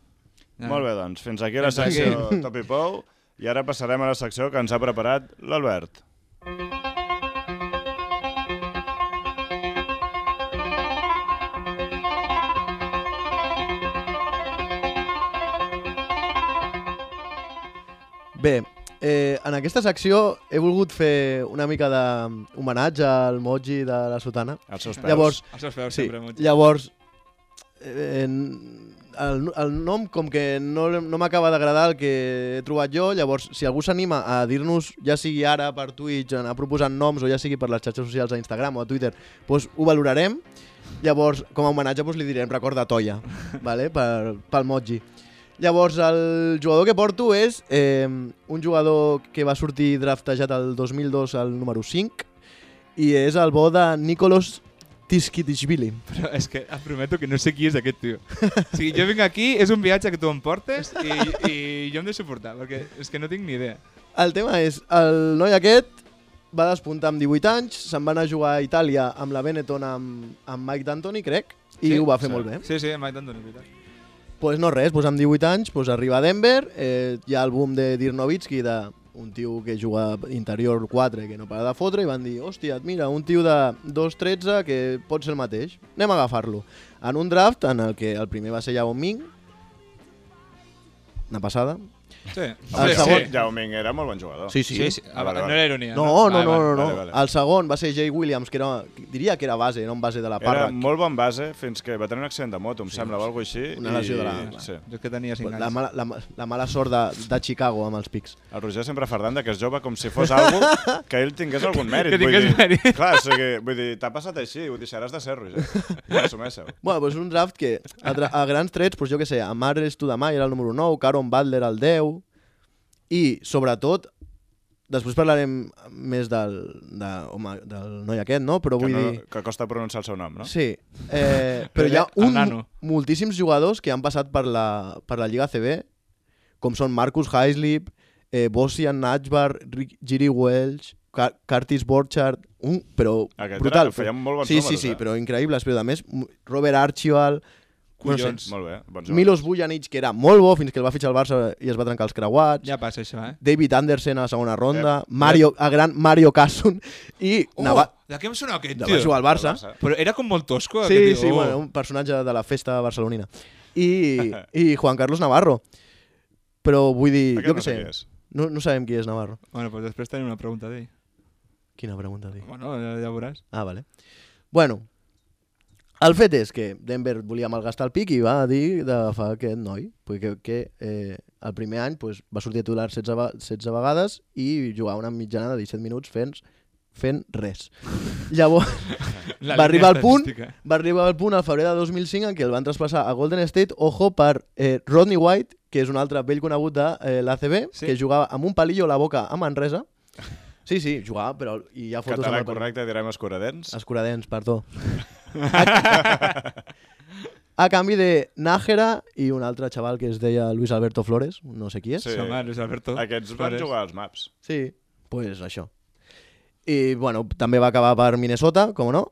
B: Molt bé, doncs, fins aquí la
D: Fins aquí.
B: secció Top i Pou i ara passarem a la secció que ens ha preparat l'Albert.
C: Bé, en aquesta secció he volgut fer una mica d'homenatge al Moji de la Sotana.
B: Els seus peus.
C: Llavors,
D: Els seus peus
C: sí,
D: sempre, Moji.
C: llavors el nom com que no m'acaba d'agradar el que he trobat jo, llavors si algú s'anima a dir-nos, ja sigui ara per Twitch, anar proposant noms o ja sigui per les xarxes socials a Instagram o a Twitter, doncs ho valorarem. Llavors, com a homenatge, li direm record de Toia, vale? Pel Moji. Llavors, el jugador que porto és un jugador que va sortir draftejat el 2002 al número 5 i és el bo de Nicolas Tiskitishvili.
D: Però és que et prometo que no sé qui és aquest tio. O sigui, jo vinc aquí, és un viatge que tu em portes i jo hem de suportar, perquè és que no tinc ni idea.
C: El tema és, el noi aquest va despuntar amb 18 anys, se'n va anar a jugar a Itàlia amb la Benetton amb Mike D'Antoni, crec, i
D: Sí?
C: ho va fer molt bé.
D: Sí, Mike D'Antoni, veritat.
C: Pues no res, pues amb 18 anys pues arriba a Denver, hi ha el boom de Dirk Nowitzki, un tio que juga interior 4 que no para de fotre, i van dir, hòstia, mira, un tio de 2'13 que pot ser el mateix, anem a agafar-lo. En un draft en el que el primer va ser Yao Ming, una passada.
D: Sí,
C: El
D: sí,
C: segon-
D: sí.
B: Yao Ming era molt bon jugador.
C: Sí.
D: Sí, sí.
B: Ah, vale,
D: No
B: vale.
D: era ironia.
C: No.
B: vale.
C: El segon va ser Jay Williams, que diria que era base, era un base de la
B: Era
C: Parra.
B: molt bon base fins que va tenir un accident de moto, em sembla, o alguna cosa així.
C: Una lesió de la-
B: Sí.
D: Jo és que tenia 5
C: La
D: anys.
C: mala sort de Chicago amb els pics.
B: El Roger sempre fardant que és jove com si fos algo que ell tingués algun mèrit.
D: Que tingués
B: vull dir,
D: mèrit.
B: Clar, o sigui, vull dir, t'ha passat així, ho deixaràs de ser, Roger. Ja assumeixo.
C: Bueno, doncs un draft que a grans trets, doncs jo què sé, Amar Studamai era el número 9, Caron Butler el 10, i sobretot, després parlarem més del noi aquest, no? Però vull dir...
B: Que costa pronunciar el seu nom, no?
C: Sí, però hi ha
D: El nano.
C: moltíssims jugadors que han passat per la Lliga CB, com són Marcus Heislip, Bosian Najbar, Giri Welch, Curtis Borchardt, però
B: Aquest
C: brutal.
B: feien molt bons
C: sí,
B: números,
C: sí,
B: eh?
C: però increïbles. Però a més, Robert Archibald, no sé,
D: Collons.
B: Molt bé, bons jugadors.
C: Milos Vujanic, que era molt bo fins que el va fitxar el Barça i es va trencar els creuats.
D: Ja passa això,
C: David Anderson a la segona ronda, el gran Mario Casson i
D: De què em sona aquest,
C: va
D: tio?
C: jugar al Barça.
D: Però era com molt tosco,
C: Sí,
D: aquest
C: sí,
D: tio.
C: bueno, un personatge de la festa barcelonina. I Juan Carlos Navarro. Però vull dir,
B: Aquest
C: jo
B: no
C: què
B: sé
C: sé,
B: qui és.
C: no sabem qui és Navarro.
D: Bueno, pues després tenim una pregunta d'ell.
C: Quina pregunta, dic.
D: Bueno, ja veuràs.
C: Ah, vale. Bueno, el fet és que Denver volia malgastar el pic i va dir d'agafar aquest noi, perquè el primer any pues, va sortir titular 16 vegades i jugava una mitjana de 17 minuts fent res. Llavors, va arribar al punt al febrer de 2005 en què el van traspassar a Golden State, ojo, per Rodney White, que és un altre vell conegut de l'ACB,
D: Sí.
C: que jugava amb un palillo a la boca a Manresa. Sí, jugava, però hi ha fotos...
B: Català
C: amb el
B: correcte, direm escuradents.
C: Escuradents, perdó. A canvi de Nájera i un altre xaval que es deia Luis Alberto Flores, no sé qui és.
B: Sí.
D: Home, Luis Alberto.
B: Aquests van
D: Flores.
B: jugar als maps.
C: Sí, pues això. I, bueno, també va acabar per Minnesota, com no,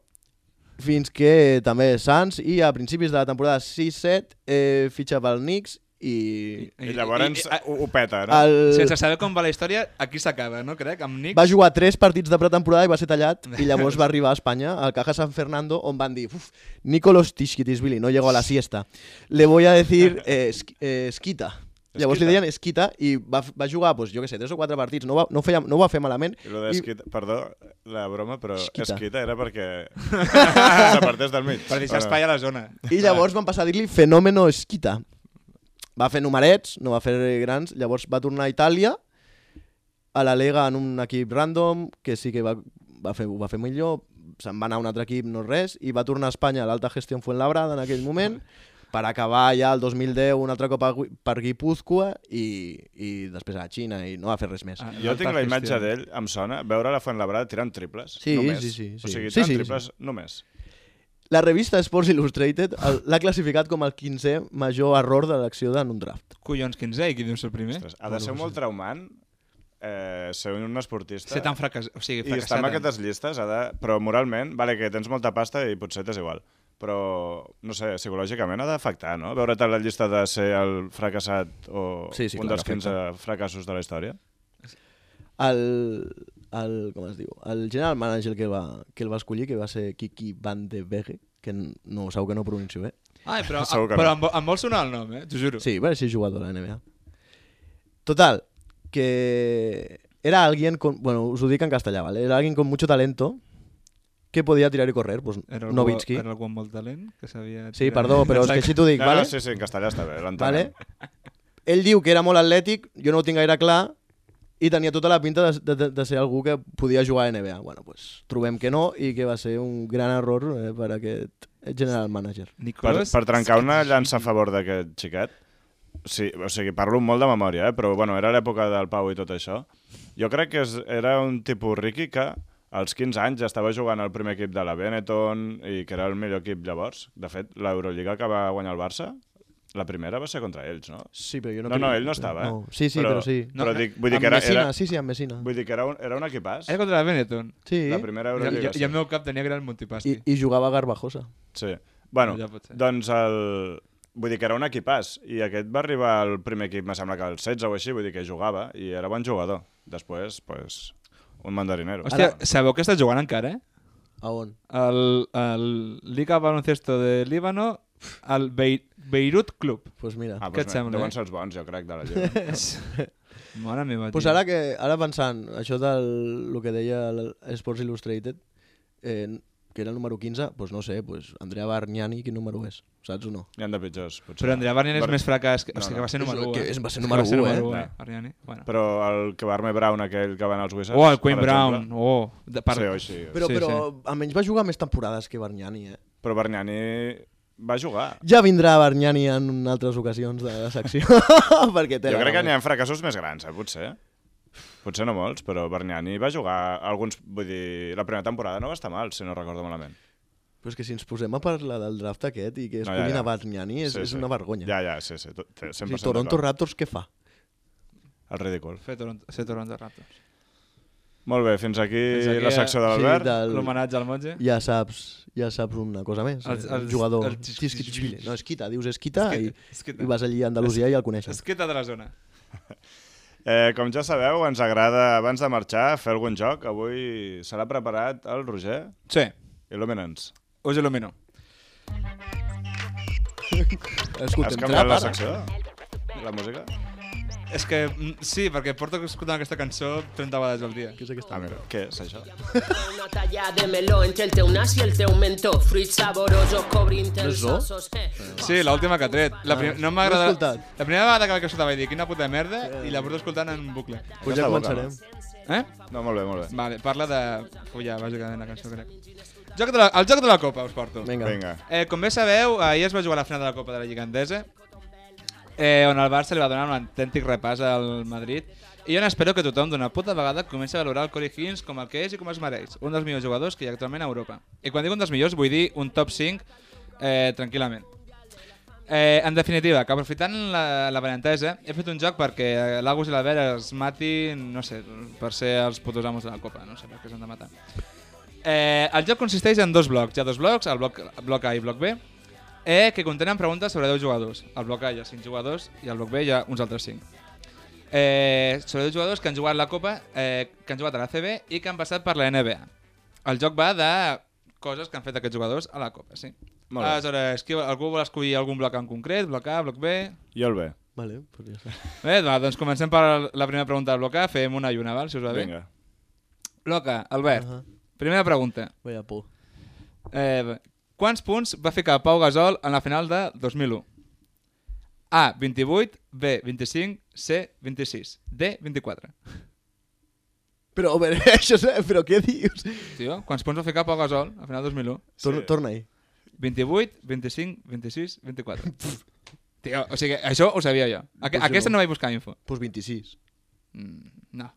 C: fins que també Suns i a principis de la temporada 6-7 fitxa pel Knicks i
B: I llavors ho peta, no?
D: Sense saber com va la història, aquí s'acaba, no crec? Amb Knicks.
C: va jugar 3 partits de pretemporada i va ser tallat i llavors va arribar a Espanya, al Caja San Fernando, on van dir Nicolas Tiskitishvili no llegó a la siesta. Le voy a decir Esquita. Llavors li deien Esquita i va jugar, pues, jo què sé, 3 o 4 partits, no ho va fer malament.
B: I lo d'esquita, perdó, la broma, però
C: Esquita.
B: esquita era perquè s'apartés del mig.
D: Per deixar espai a la zona.
C: I llavors van passar a dir-li Fenómeno Esquita. Va fer numerets, no va fer grans, llavors va tornar a Itàlia, a la Lega en un equip random, que sí que ho va fer millor, se'n va anar a un altre equip, no res, i va tornar a Espanya a l'Alta Gestió Fuenlabrada en aquell moment, per acabar ja el 2010 un altre cop per Guipúzcoa i després a la Xina i no va fer res més.
B: Jo tinc la imatge d'ell, em sona, veure la Fuenlabrada tirant triples,
C: Sí,
B: només.
C: sí.
B: O sigui,
C: Sí,
B: tirant
C: sí,
B: triples només.
C: La revista Sports Illustrated l'ha classificat com el 15è major error de l'acció en un draft.
D: Collons, 15 i qui diu ser el primer?
B: Ostres, ha de ser molt traumant ser un esportista
D: Ser tan fracassat. O sigui,
B: i estar en aquestes llistes, però moralment, vale que tens molta pasta i potser t'és igual, però, no sé, psicològicament ha d'afectar, no? Veure't a la llista de ser el fracassat o
C: Sí,
B: un
C: clar,
B: dels 15 fracassos de la història.
C: Com es diu? El general manager que el va escollir, que va ser Kiki Van de Vegge, que no segur que no pronuncio bé.
D: Ai, però
B: Segur que
D: però
B: no.
D: em vol sonar el nom, t'ho juro.
C: Sí, va ser jugador a la NBA. Total, que era alguien con... Bueno, us ho dic en castellà, ¿vale? Era alguien con mucho talento que podía tirar y correr, pues Nowitzki.
D: Era algú amb molt talent que sabia...
C: Sí, perdó, però és que així t'ho dic,
B: No,
C: ¿vale?
B: no, sí, en castellà està bé, l'entenem.
C: ¿Vale? Ell diu que era molt atlètic, jo no ho tinc gaire clar, i tenia tota la pinta de ser algú que podia jugar a NBA. Bueno, pues trobem que no i que va ser un gran error per aquest general manager.
B: Per trencar una llança a favor d'aquest xiquet, sí, o sigui, parlo molt de memòria, però bueno, era l'època del Pau i tot això. Jo crec que era un tipus Ricky que als 15 anys ja estava jugant al primer equip de la Benetton i que era el millor equip llavors. De fet, l'Eurolliga que va guanyar el Barça, la primera va ser contra ells, no?
C: Sí, però jo no...
B: No, ell no estava,
C: no. Sí, però sí.
B: Però vull dir
C: amb
B: que era...
C: Messina, sí, amb Messina.
B: Vull dir que era un equipàs.
D: Era contra la Benetton.
C: Sí.
B: La primera Eurolliga,
D: I el meu cap tenia que era el Montipasti.
C: I jugava Garbajosa.
B: Sí. Bueno,
D: Ja pot ser.
B: doncs vull dir que era un equipàs i aquest va arribar al primer equip, me sembla que al 16 o així, vull dir que jugava i era bon jugador. Després, pues, un mandarinero.
D: Hòstia, sabeu que està jugant encara, eh?
C: A on?
D: El Liga Baloncesto de Líbano, el Beirut Club.
C: Pues mira.
B: Ah,
D: Què et sembla,
B: deuen ser els bons, jo crec, de la Lliga.
D: Mare meva,
C: Pues
D: tio.
C: ara pensant, això del que deia Sports Illustrated, que era el número 15, pues no sé, pues Andrea Bargnani, quin número és? Saps o no?
B: N'hi ha de pitjors, potser.
D: Però Andrea Bargnani és més fracàs. O
B: No,
D: sigui,
B: no.
D: que va ser número 1.
C: Va ser número 1,
D: Bargnani. Bueno.
B: Però el Kvarme Brown, aquell que va anar als Wizards...
D: Oh, el Quinn
B: per
D: Brown.
B: exemple.
D: Oh,
B: Sí, o així.
C: Però,
D: Sí,
C: però almenys va jugar més temporades que Bargnani, eh?
B: Però Bargnani va jugar.
C: Ja vindrà Bargnani en altres ocasions de la secció, perquè té
B: Jo crec que n'hi ha fracassos més grans, potser. Potser no molts, però Bargnani va jugar alguns... Vull dir, la primera temporada no va estar mal, si no recordo malament.
C: Però és que si ens posem a parlar del draft aquest i que es
B: No,
C: puguin
B: ja.
C: a Bargnani és una vergonya.
B: Ja, sí. 100%
C: Si Toronto Raptors què fa?
B: El ridícul.
D: Ser Toronto Raptors.
B: Molt bé, fins aquí
D: Fins aquí,
B: la secció de l'Albert.
D: L'homenatge al Monge.
C: Ja saps una cosa més. El jugador
D: el
C: Txisquitxvili. No, Esquita, dius Esquita i vas allí a
D: Andalusia
C: Andalusia i el coneixes.
D: Esqueta de la zona.
B: Com ja sabeu, ens agrada, abans de marxar, fer algun joc. Avui serà preparat el Roger.
D: Sí,
B: Il·lumina'ns.
D: us il·lumino.
C: Escoltem,
B: Has canviat la
C: ara.
B: secció? La música?
D: És que sí, perquè porto escoltant aquesta cançó 30 vegades al dia.
C: Què és aquesta?
B: Ah, mira, què és això?
E: Una talla de meló entre el teu nas i el teu mentó. Fruits saborosos, cobrint els
C: zo?
E: ossos.
D: Sí, l'última que ha tret. No m'ha
C: l'he
D: agradat.
C: escoltat.
D: La primera vegada que vaig escoltar vaig dir quina puta merda i la porto escoltant en bucle.
C: Pues
B: Aquesta
C: ja
B: boca,
C: començarem.
D: Eh?
B: No, molt bé.
D: Vale, parla de... ja, bàsicament la cançó, crec. El joc de la Copa us porto.
C: Vinga.
D: Com bé sabeu, ahir es va jugar la final de la Copa de la Lliga Endesa, on el Barça li va donar un autèntic repàs al Madrid, i jo n'espero que tothom d'una puta vegada comenci a valorar el Corey Higgins com el que és i com es mereix, un dels millors jugadors que hi ha actualment a Europa. I quan dic un dels millors vull dir un top 5 tranquil·lament. En definitiva, que aprofitant la benentesa, he fet un joc perquè l'Agus i l'Albert es matin, no sé, per ser els putos amos de la Copa, no sé per què s'han de matar. El joc consisteix en dos blocs. Hi ha dos blocs, el bloc A i bloc B, que contenen preguntes sobre 10 jugadors. Al bloc A hi ha 5 jugadors i al bloc B hi ha uns altres 5. Sobre 10 jugadors que han jugat la Copa, que han jugat a la CB i que han passat per la NBA. El joc va de coses que han fet aquests jugadors a la Copa, sí.
B: Molt bé.
D: Aleshores, algú vol escollir algun bloc en concret? Bloc A, bloc B?
B: Jo el bé.
C: Vale, pues ja està.
D: Bé, doncs comencem per la primera pregunta del bloc A. Fem una i una, val, si us va bé?
B: Vinga.
D: Bloc A, Albert. Primera pregunta.
C: Vaya por.
D: Quants punts va ficar Pau Gasol en la final de 2001? A, 28, B, 25, C, 26, D, 24.
C: Però, a veure, però què dius?
D: Tio, quants punts va ficar Pau Gasol a la final de 2001?
C: Torna-hi.
D: 28, 25, 26, 24. Tio, o sigui, això ho sabia jo. Aquesta no vaig buscar info.
C: Pues 26.
D: No.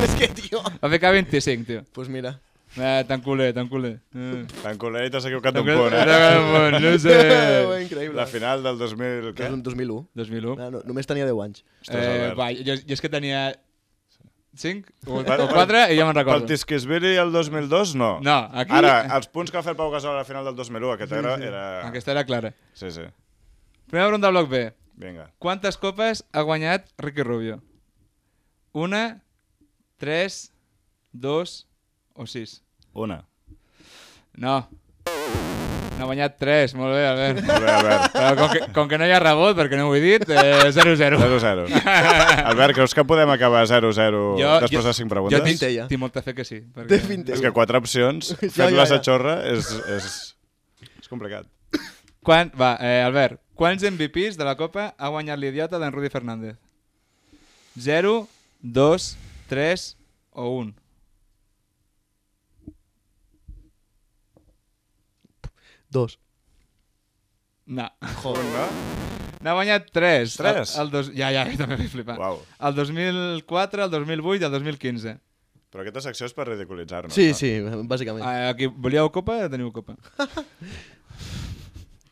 C: És que, tio...
D: Va ficar 25, tio.
C: Pues mira.
D: Tan culer, tan culer.
B: Tan culer i t'has equivocat un punt,
D: No sé.
C: Increïble.
B: La final del 2000... Què?
C: 2001.
D: 2001.
C: No, només tenia 10 anys.
D: Va, jo és que tenia 5 o 4 i ja me'n
B: Pel
D: recordo.
B: Tisquisvili el 2002, no.
D: No, aquí...
B: Ara, els punts que va fer el Pau Gasol a la final del 2001, aquesta era...
D: Aquesta era clara.
B: Sí.
D: Primera pregunta del bloc B.
B: Vinga.
D: Quantes copes ha guanyat Ricky Rubio? 1, 3, 2 o 6?
B: 1.
D: No. N'ha guanyat 3, molt bé, Albert.
B: Molt bé, Albert.
D: Però com que no hi ha rebot, perquè no ho he dit, 0-0.
B: 0-0. Albert, creus que podem acabar 0-0 després de 5 preguntes?
D: Jo
C: Fintella.
D: tinc molta fe que sí.
C: Té
D: Perquè...
C: fintella.
B: És que 4 opcions,
C: Ja,
B: fent-les
C: ja.
B: a xorra, és complicat.
D: Albert, quants MVPs de la Copa ha guanyat l'idiota d'en Rudy Fernández? 0, 2, 3 o 1?
C: Dos.
D: No.
B: Joder, no?
D: N'ha guanyat 3.
B: 3?
D: Ja, jo també vaig flipar.
B: Uau.
D: El 2004, el 2008 i el 2015.
B: Però aquesta secció és per ridiculitzar-nos.
C: Sí,
B: no?
C: sí, bàsicament.
D: Aquí volíeu Copa? Teniu Copa.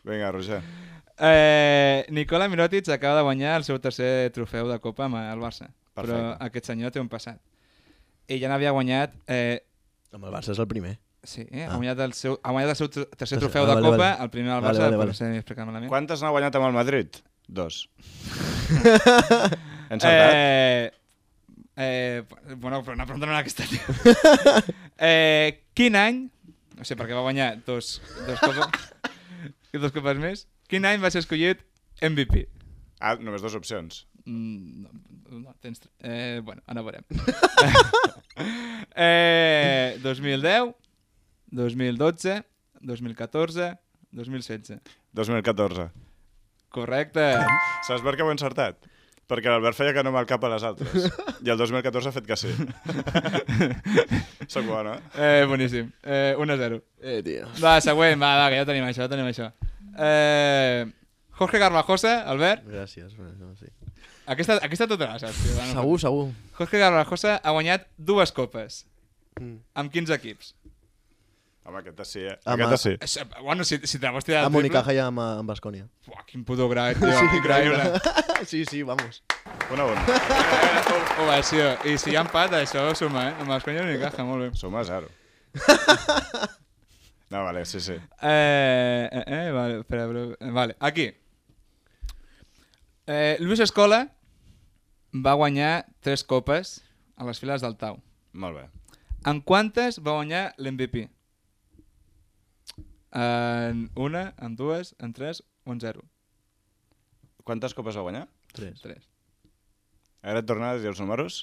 B: Vinga, Roger.
D: Nikola Mirotic acaba de guanyar el seu tercer trofeu de Copa amb el Barça.
B: Perfecte.
D: Però aquest senyor té un passat. Ell ja n'havia guanyat...
C: Amb el Barça és el primer.
D: Sí, ha guanyat el seu tercer trofeu
C: vale,
D: de Copa,
C: vale.
D: el primer al
C: Vale,
D: Barça,
C: vale,
D: per
C: vale.
D: ser explicat malament.
B: Quantes n'ha guanyat amb el Madrid? 2. Encertat?
D: Bueno, però una pregunta no era aquesta, tio. Quin any... No sé, perquè va guanyar dos copes més. Quin any va ser escollit MVP?
B: Ah, només 2 opcions.
D: No, tens... bueno, ara veurem. 2010, 2012, 2014, 2016.
B: 2014.
D: Correcte.
B: Saps per què ho he encertat? Perquè l'Albert feia que no amb el cap a les altres. I el 2014 ha fet que sí. Soc bo, no?
D: Boníssim. 1-0.
C: Tio.
D: Va, següent. Va, que ja tenim això. Jorge Garbajosa, Albert.
C: Gràcies. Bueno, sí.
D: Aquesta tota la saps, tio.
C: Segur, segur.
D: Jorge Garbajosa ha guanyat 2 copes.
C: Mm.
D: Amb quins equips?
B: Home, aquesta sí, eh?
C: Home.
B: Aquesta sí.
D: Bueno, si te la vols tirar
C: A
D: al triple...
C: Unicaja i amb Baskonia.
D: Buah, quin puto crack, tio. Increïble.
C: Sí, vamos.
B: 1-1.
D: Ovació. I si hi ha empat, això suma, Amb els conyes Unicaja, molt bé.
B: Suma 0. No, vale, sí.
D: Vale, espera, vale, aquí. Luis Escola va guanyar 3 copes a les files del Tau.
B: Molt bé.
D: En quantes va guanyar l'MVP? En 1, en 2, en 3 o en 0?
B: Quantes copes va guanyar?
C: 3.
B: Ara et tornaràs a dir els números?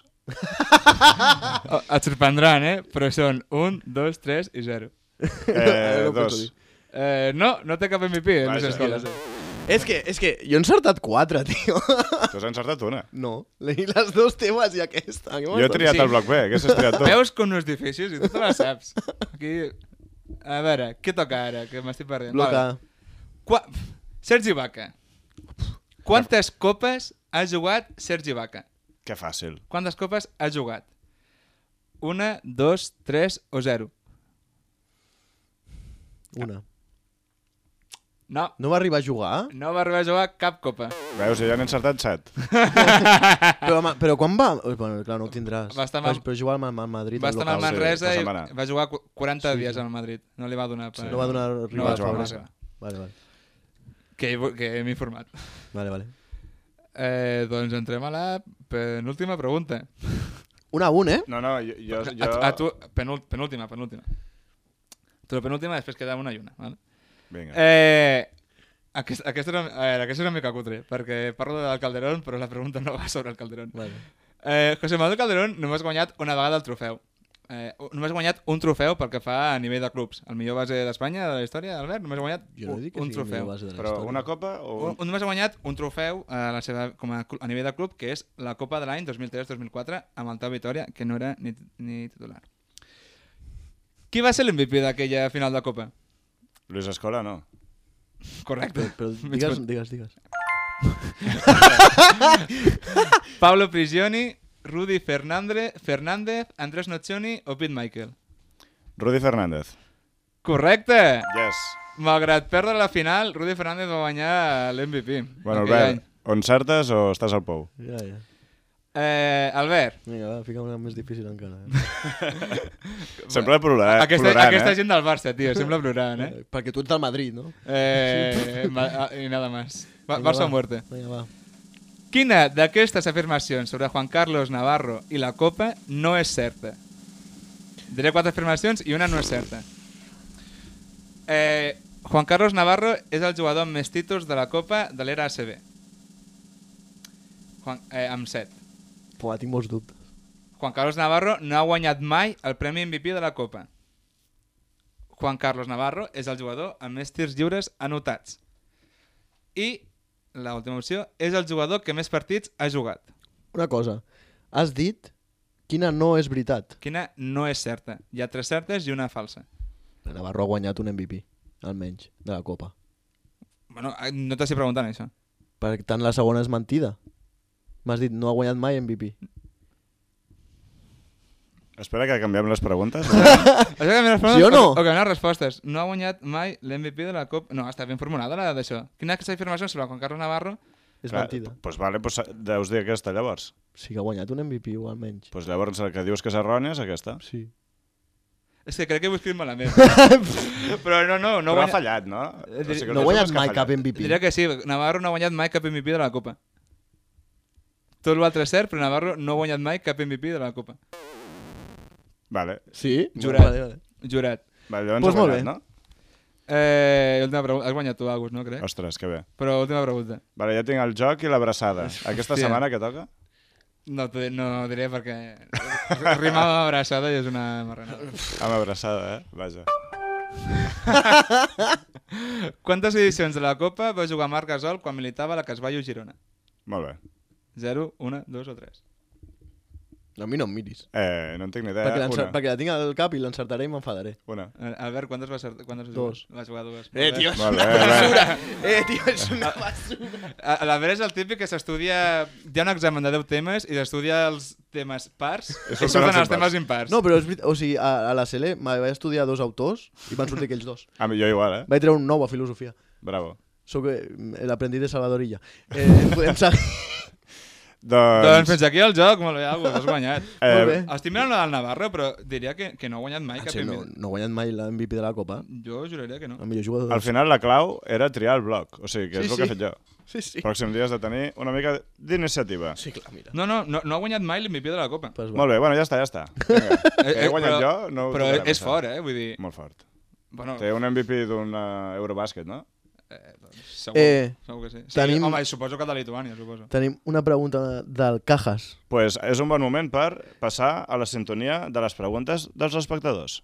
D: Et sorprendran, Però són 1, 2, 3 i 0.
B: 2.
D: No té cap MVP, Luis
B: Vaja.
D: Escola.
C: És que jo he encertat 4, tio.
B: Tu has encertat una.
C: No, les 2 teves i aquesta.
B: Jo he triat el bloc B, aquesta has triat tu.
D: Veus com no és difícil? I tu te la saps. Aquí... A veure, què toca ara? Que m'estic perdent.
C: Bloc A.
D: Sergi Vaca. Quantes copes ha jugat Sergi Vaca?
B: Que fàcil.
D: Quantes copes ha jugat? 1, 2, 3 o 0?
C: 1.
D: No.
C: No va arribar a jugar?
D: No va arribar a jugar cap copa.
B: Veus, ja n'he encertat 7.
C: Però quan va... Bueno, clar, no ho tindràs.
D: Va estar mal-
C: Però jugar al Madrid.
D: Va estar amb el
C: local.
D: Manresa
B: sí,
D: i
B: se'n va anar.
D: va jugar 40 dies al Madrid. No li va donar... Per...
C: No va donar
D: No
C: rival
D: va jugar.
C: favorable. Vale.
D: Que m'he informat.
C: Vale.
D: Doncs entrem a la penúltima pregunta.
C: 1-1, eh?
B: No, jo...
D: A tu, penúltima. Tu la penúltima, després queda una i una. Vale?
B: Vinga.
D: Aquesta és una mica cutre, perquè parlo del Calderón, però la pregunta no va sobre el Calderón.
C: Vale.
D: José Manuel Calderón només ha guanyat una vegada el trofeu. Només ha guanyat un trofeu pel que fa a nivell de clubs. El millor base d'Espanya de la història, Albert, només ha guanyat
C: Jo no dic que
D: un
C: sigui
D: trofeu.
C: millor base de la
B: Però
C: història.
B: una copa o...
D: Només ha guanyat un trofeu a nivell de club, que és la Copa de l'any 2003-2004 amb el Tau Vitòria, que no era ni titular. Qui va ser l'MVP d'aquella final de Copa?
B: Luis Escola, no.
D: Correcte.
C: Però digues.
D: Pablo Prigioni, Rudy Fernández, Andrés Nocioni o Pete Michael?
B: Rudy Fernández.
D: Correcte!
B: Yes.
D: Malgrat perdre la final, Rudy Fernández va guanyar l'MVP.
B: Bueno,
D: aquell
B: Albert, o encertes o estàs al pou?
C: Ja.
D: any. Albert,
C: Vinga, va, fica una més difícil encara.
B: Sempre plorant,
D: aquesta gent del Barça, tio, sembla plorant,
C: Perquè tu ets del Madrid, no?
D: I nada más. Barça o muerte.
C: Vinga, va.
D: Quina d'aquestes afirmacions sobre Juan Carlos Navarro i la Copa no és certa? Diré 4 afirmacions i una no és certa. Juan Carlos Navarro és el jugador amb més títols de la Copa de l'era ACB. Amb 7.
C: Pua, tinc molts dubtes.
D: Juan Carlos Navarro no ha guanyat mai el Premi MVP de la Copa. Juan Carlos Navarro és el jugador amb més tirs lliures anotats. I l'última opció és el jugador que més partits ha jugat.
C: Una cosa, has dit quina no és veritat.
D: Quina no és certa. Hi ha 3 certes i una falsa.
C: El Navarro ha guanyat un MVP, almenys, de la Copa.
D: Bueno, no t'estic preguntant això.
C: Per tant, la segona és mentida. M'has dit, no ha guanyat mai MVP.
B: Espera que canviem les preguntes.
C: Sí o no?
D: O canviem les respostes. No ha guanyat mai l'MVP de la Copa. No, està ben formulada la d'això. Quina és aquesta afirmació sobre Juan Carlos Navarro?
C: És mentida.
B: Doncs vale, deus dir aquesta llavors.
C: Sí que ha guanyat un MVP o almenys.
B: Doncs llavors el que dius que és errònia és aquesta.
C: Sí.
D: És que crec que ho he escrit malament. Però no
B: Però ha fallat, no? O sigui,
C: no ha guanyat mai cap MVP.
D: Diria que sí, Navarro no ha guanyat mai cap MVP de la Copa. Tot l'altre és cert, però Navarro no ha guanyat mai cap MVP de la Copa.
B: Vale.
C: Sí?
D: Jurat.
C: Vale.
D: Jurat.
B: Vale, llavors
C: Pues
B: ha
C: molt
B: guanyat,
C: bé.
B: no?
D: Última pregunta. Has guanyat tu, Agus, no crec?
B: Ostres, que bé.
D: Però última pregunta.
B: Vale, ja tinc el joc i l'abraçada. Aquesta
D: Hòstia.
B: setmana què toca?
D: No diré perquè rimava amb abraçada i és una marranada.
B: Amb abraçada, Vaja.
D: Quantes edicions de la Copa va jugar Marc Gasol quan militava a la Casballo Girona?
B: Molt bé.
D: 0, 1, 2 o 3?
C: A mi no em miris.
B: No en tinc ni idea.
C: Perquè la tinc al cap i l'encertaré i m'enfadaré.
B: Una.
D: Albert, quantes va ser?
C: Dos.
D: Va jugar 2.
C: Tio, és
B: Molt
C: una
B: bé,
C: basura. Tio, és una basura.
D: L'Albert és el típic que s'estudia... Hi ha un examen de 10 temes i s'estudia els temes pars i surten els temes impars.
C: No, però és veritat. O sigui, a la CL vaig estudiar 2 autors i van sortir aquells 2.
B: A mi jo igual,
C: Vaig treure un 9 a filosofia.
B: Bravo.
C: Soc l'aprendiz de Salvadorilla. Podem seguir.
D: Doncs fins aquí el joc, molt bé, Agus, has guanyat.
C: Molt bé.
D: Estic mirant la del Navarro, però diria que no ha guanyat mai cap
C: Sí, no ha guanyat mai l'MVP de la Copa.
D: Jo juraria que no.
C: El millor jugador.
B: Al final la clau era triar el bloc, o sigui, que és el que he fet jo.
C: Sí, sí.
B: Pròxim dia has de tenir una mica d'iniciativa.
C: Sí, clar, mira.
D: No ha guanyat mai l'MVP de la Copa.
C: Pues
B: Molt bé, bueno, ja està. Vinga. Que he guanyat jo, no ho
D: Però
B: tocarem,
D: és
B: això.
D: fort, vull dir...
B: Molt fort.
D: Bueno,
B: Té un MVP d'un Eurobàsquet, no?
D: segur que sí.
C: Tenim-
D: Home, suposo que de Lituània, suposo.
C: Tenim una pregunta del Cajas.
B: Pues és un bon moment per passar a la sintonia de les preguntes dels espectadors.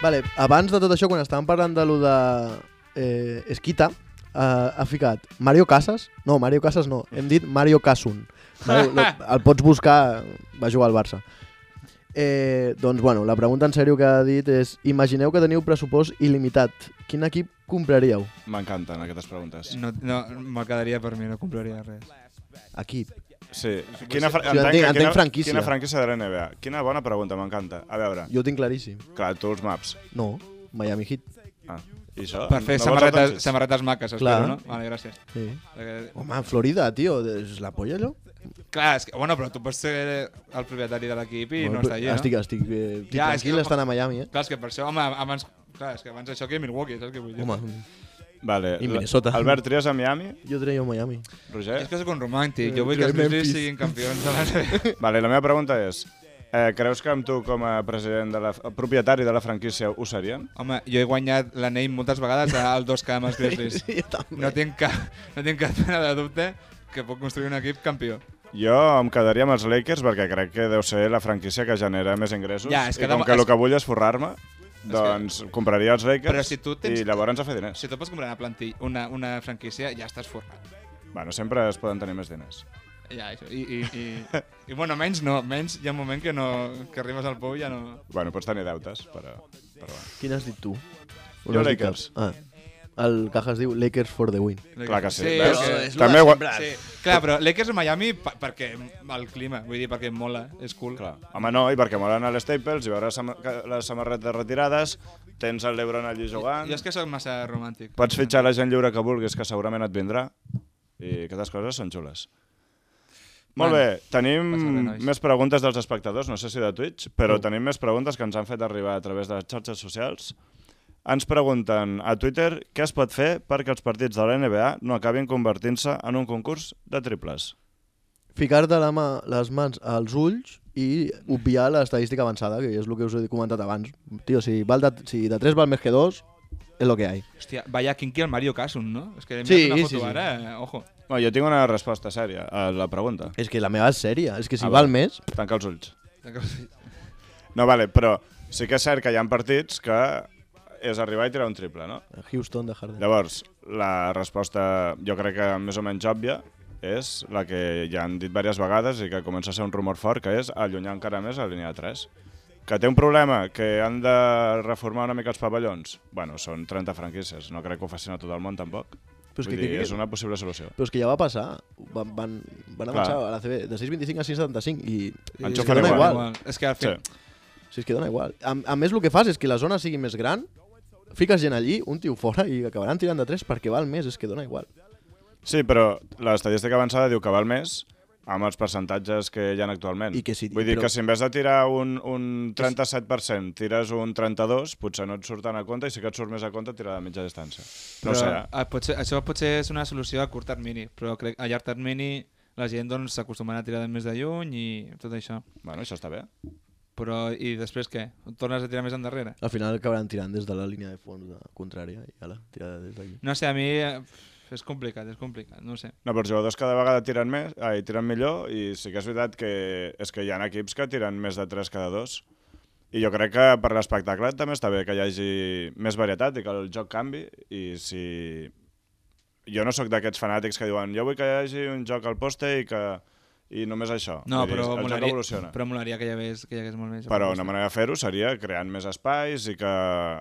C: Vale, abans de tot això, quan estàvem parlant de lo de Esquita, ha ficat Mario Casas. No, Mario Casas no. Hem dit Mario Casun. El pots buscar, va jugar al Barça. Doncs, bueno, la pregunta en sèrio que ha dit és: imagineu que teniu pressupost il·limitat. Quin equip compraríeu?
B: M'encanten aquestes preguntes.
D: No, me'l quedaria per mi, no compraria res.
C: Equip.
B: Sí.
C: Entenc franquícia.
B: Quina franquícia de la NBA? Quina bona pregunta, m'encanta. A veure,
C: Jo ho tinc claríssim.
B: clar, tu els maps.
C: No, Miami Heat.
B: Ah, i això?
D: Per fer
B: No vols el Doncic?
D: samarretes maques,
C: Clar.
D: espero, no? Vale, gràcies.
C: Sí.
D: Perquè-
C: Home, Florida, tio, és la polla, allò?
D: Clar, és que, bueno, però tu pots ser el propietari de l'equip i no està allà, no?
C: Estic
D: Ja, és
C: tranquil
D: que-
C: estant a Miami,
D: Clar, és que per això, home, abans... Clar, és que abans això que Milwaukee, saps què vull dir?
C: Home,
B: Vale.
C: I Minnesota.
B: Albert, tries a Miami?
C: jo treia Miami.
B: Roger?
D: És que sóc un romàntic, jo vull que els
C: Memphis.
D: Grizzlies siguin campions de la NBA.
B: Vale, la meva pregunta és, creus que amb tu com a president propietari de la franquícia ho serien?
D: Home, jo he guanyat l'anell moltes vegades al 2K amb els Grizzlies.
C: Sí, jo també.
D: No tinc cap mena de dubte que puc construir un equip campió.
B: Jo em quedaria amb els Lakers perquè crec que deu ser la franquícia que genera més ingressos.
D: Ja, és que
B: I com que el que vull és forrar-me, doncs compraria els Lakers
D: Però si tu tens-
B: i llavors a fer diners.
D: Si tu pots comprar una franquícia, ja estàs forrat.
B: Bueno, sempre es poden tenir més diners.
D: Ja, això. I bueno, menys no. Menys hi ha un moment que arribes al pou i ja no...
B: Bueno, pots tenir deutes, però bueno.
C: Quin has dit tu?
B: Jo Lakers.
C: El Cajas diu Lakers for the win.
B: Clar que sí.
D: Sí,
B: Veus?
D: és
B: També ho...
D: Sí, clar, però Lakers a Miami perquè el clima, vull dir, perquè mola, és cool.
B: Clar. Home, no, i perquè molen a l'Staples, i veure les samarretes retirades, tens el LeBron allí jugant,
D: Jo és que sóc massa romàntic.
B: pots fitxar la gent lliure que vulguis, que segurament et vindrà, i aquestes coses són xules. Molt
D: Bueno,
B: bé, tenim
D: passa res, nois.
B: més preguntes dels espectadors, no sé si de Twitch, però tenim més preguntes que ens han fet arribar a través de les xarxes socials. Ens pregunten a Twitter què es pot fer perquè els partits de la NBA no acabin convertint-se en un concurs de triples.
C: Ficar-te les mans als ulls i obviar l'estadística avançada, que és el que us he comentat abans. Tio, si de 3 val més que 2, és lo que hay.
D: Hòstia, vaya kinky el Mario Casum, no? És que
C: Sí,
D: una foto
C: sí, sí.
D: ara, ojo.
B: Bueno, jo tinc una resposta sèria a la pregunta.
C: És que la meva és sèria, és que si
B: Ah,
C: val
B: va.
C: més...
B: Tanca els ulls. No, vale, però sí que és cert que hi ha partits que és arribar i tirar un triple, no?
C: Houston de Harden.
B: Llavors, la resposta, jo crec que més o menys òbvia, és la que ja han dit diverses vegades i que comença a ser un rumor fort, que és allunyar encara més la línia de 3. Que té un problema, que han de reformar una mica els pavellons. Bueno, són 30 franquícies, no crec que ho facin a tot el món tampoc.
C: Però és
B: Vull
C: que
B: dir, és una possible solució.
C: Però és que ja va passar. Van avançar a la CB de 6,25 a 6,75 i és
B: Enxufen
C: que dona
B: igual.
C: igual.
D: És que al
B: Sí.
D: final...
C: Si és que dona igual. A més, el que fas és que la zona sigui més gran, fiques gent allí, un tio fora i acabaran tirant de 3 perquè val més, és que dona igual.
B: Sí, però l'estadística avançada diu que val més amb els percentatges que hi ha actualment.
C: I que sí,
B: Vull dir
C: però-
B: que si en vez de tirar un 37%, tires un 32%, potser no et surten a compte i sí que et surt més a compte tirar de mitja distància. No ho sé,
D: Això potser és una solució a curt termini, però crec a llarg termini la gent doncs, s'acostumarà a tirar de més de lluny i tot això.
B: Bueno, això està bé.
D: Però i després què? Tornes a tirar més endarrere?
C: Al final acabaran tirant des de la línia de fons contrària i ala, tirar des d'aquí.
D: No sé, a mi és complicat, no sé.
B: No, però els jugadors cada vegada tiren millor i sí que és veritat que és que hi ha equips que tiren més de 3 cada 2 i jo crec que per l'espectacle també està bé que hi hagi més varietat i que el joc canvi i si... Jo no sóc d'aquests fanàtics que diuen jo vull que hi hagi un joc al poste i només això.
D: No,
B: Vull dir,
D: però
B: el joc evoluciona.
D: molaria que hi hagués molt més.
B: Però una manera de fer-ho seria creant més espais i que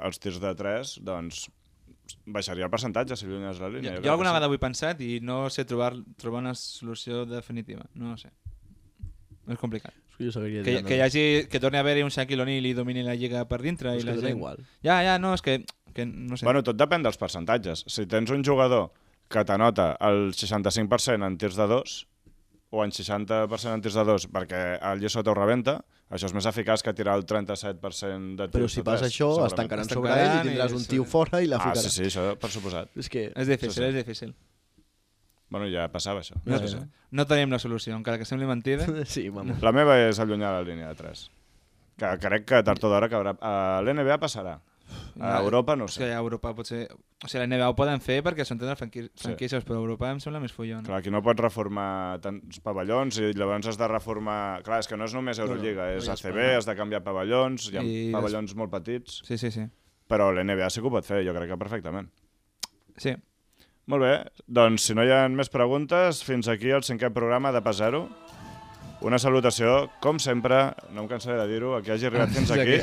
B: els tirs de 3 doncs, baixaria el percentatge si allunyes la línia.
D: Jo alguna vegada ho he pensat i no sé trobar una solució definitiva. No sé. És complicat.
C: Jo seguiria
D: Que torni a haver-hi un Shaquille O'Neal i domini la lliga per dintre.
C: És
D: i
C: que
D: la
C: dona
D: gent...
C: igual.
D: Ja, no, és que no sé.
B: Bueno, tot depèn dels percentatges. Si tens un jugador que t'anota el 65% en tirs de 2 o en 60% en tirs de 2 perquè el Llesota ho rebenta, això és més eficaç que tirar el 37% de tirs
C: Però si
B: de 3.
C: passa això, es tancaran sobre ell i tindràs un tio fora i la
B: Ah,
C: ficarà.
B: sí, això per suposat.
C: És que...
D: És difícil,
B: Sí.
D: és difícil.
B: Bueno, ja passava això.
C: Ja,
B: Sí, sí.
C: ja.
D: No tenim la solució, encara que sembli mentida.
C: Sí, vamos.
B: La meva és allunyar la línia de 3. Que crec que tard o d'hora acabarà... A l'NBA passarà. A Europa no ho
D: És que
B: sé.
D: a Europa potser... O sigui, la NBA ho poden fer perquè són totes franquícies, però a Europa em sembla més follon.
B: Clar, aquí no pots reformar tants pavellons i llavors has de reformar... Clar, és que no és només Eurolliga, és ACB, has de canviar pavellons, hi ha pavellons molt petits,
D: Sí.
B: però l'NBA sí que ho pot fer, jo crec que perfectament.
D: Sí.
B: Molt bé, doncs si no hi ha més preguntes, fins aquí el 5è programa de Pas Zero. Una salutació, com sempre, no em cansaré de dir-ho, a qui hagi arribat fins aquí.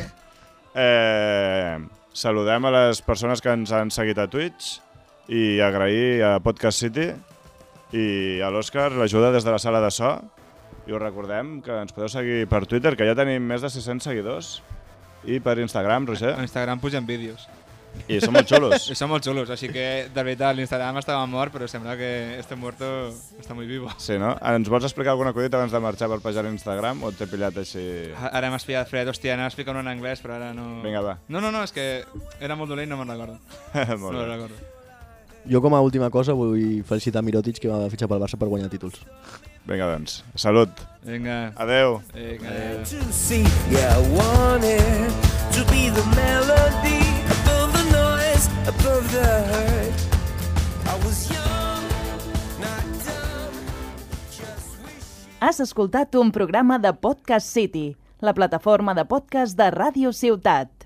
B: Saludem a les persones que ens han seguit a Twitch i agrair a Podcast City i a l'Òscar l'ajuda des de la sala de so. I us recordem que ens podeu seguir per Twitter, que ja tenim més de 600 seguidors, i per Instagram, Roger.
D: A Instagram pugen vídeos.
B: I són molt xulos.
D: I són molt xulos, així que de veritat l'Instagram estava mort, però sembla que este muerto està molt vivo.
B: Sí, no? Ens vols explicar alguna cosita abans de marxar per pejar a l'Instagram o t'he pillat així?
D: Ara m'has pillat fred, hòstia, anava a explicar en anglès, però ara no...
B: Vinga, va.
D: No, és que era molt dolent i no me'n recordo.
B: Molt
D: No
B: bé.
D: me'n recordo.
C: Jo com a última cosa vull felicitar Mirotic, que va fitxar pel Barça per guanyar títols.
B: Vinga, doncs. Salut.
D: Vinga.
B: Adeu.
D: Vinga.
F: To see, yeah, I want it to be the melody above the noise, above the hurt. I was young, not dumb, just wishing.
A: Has escoltat un programa de Podcast City, la plataforma de podcast de Ràdio Ciutat.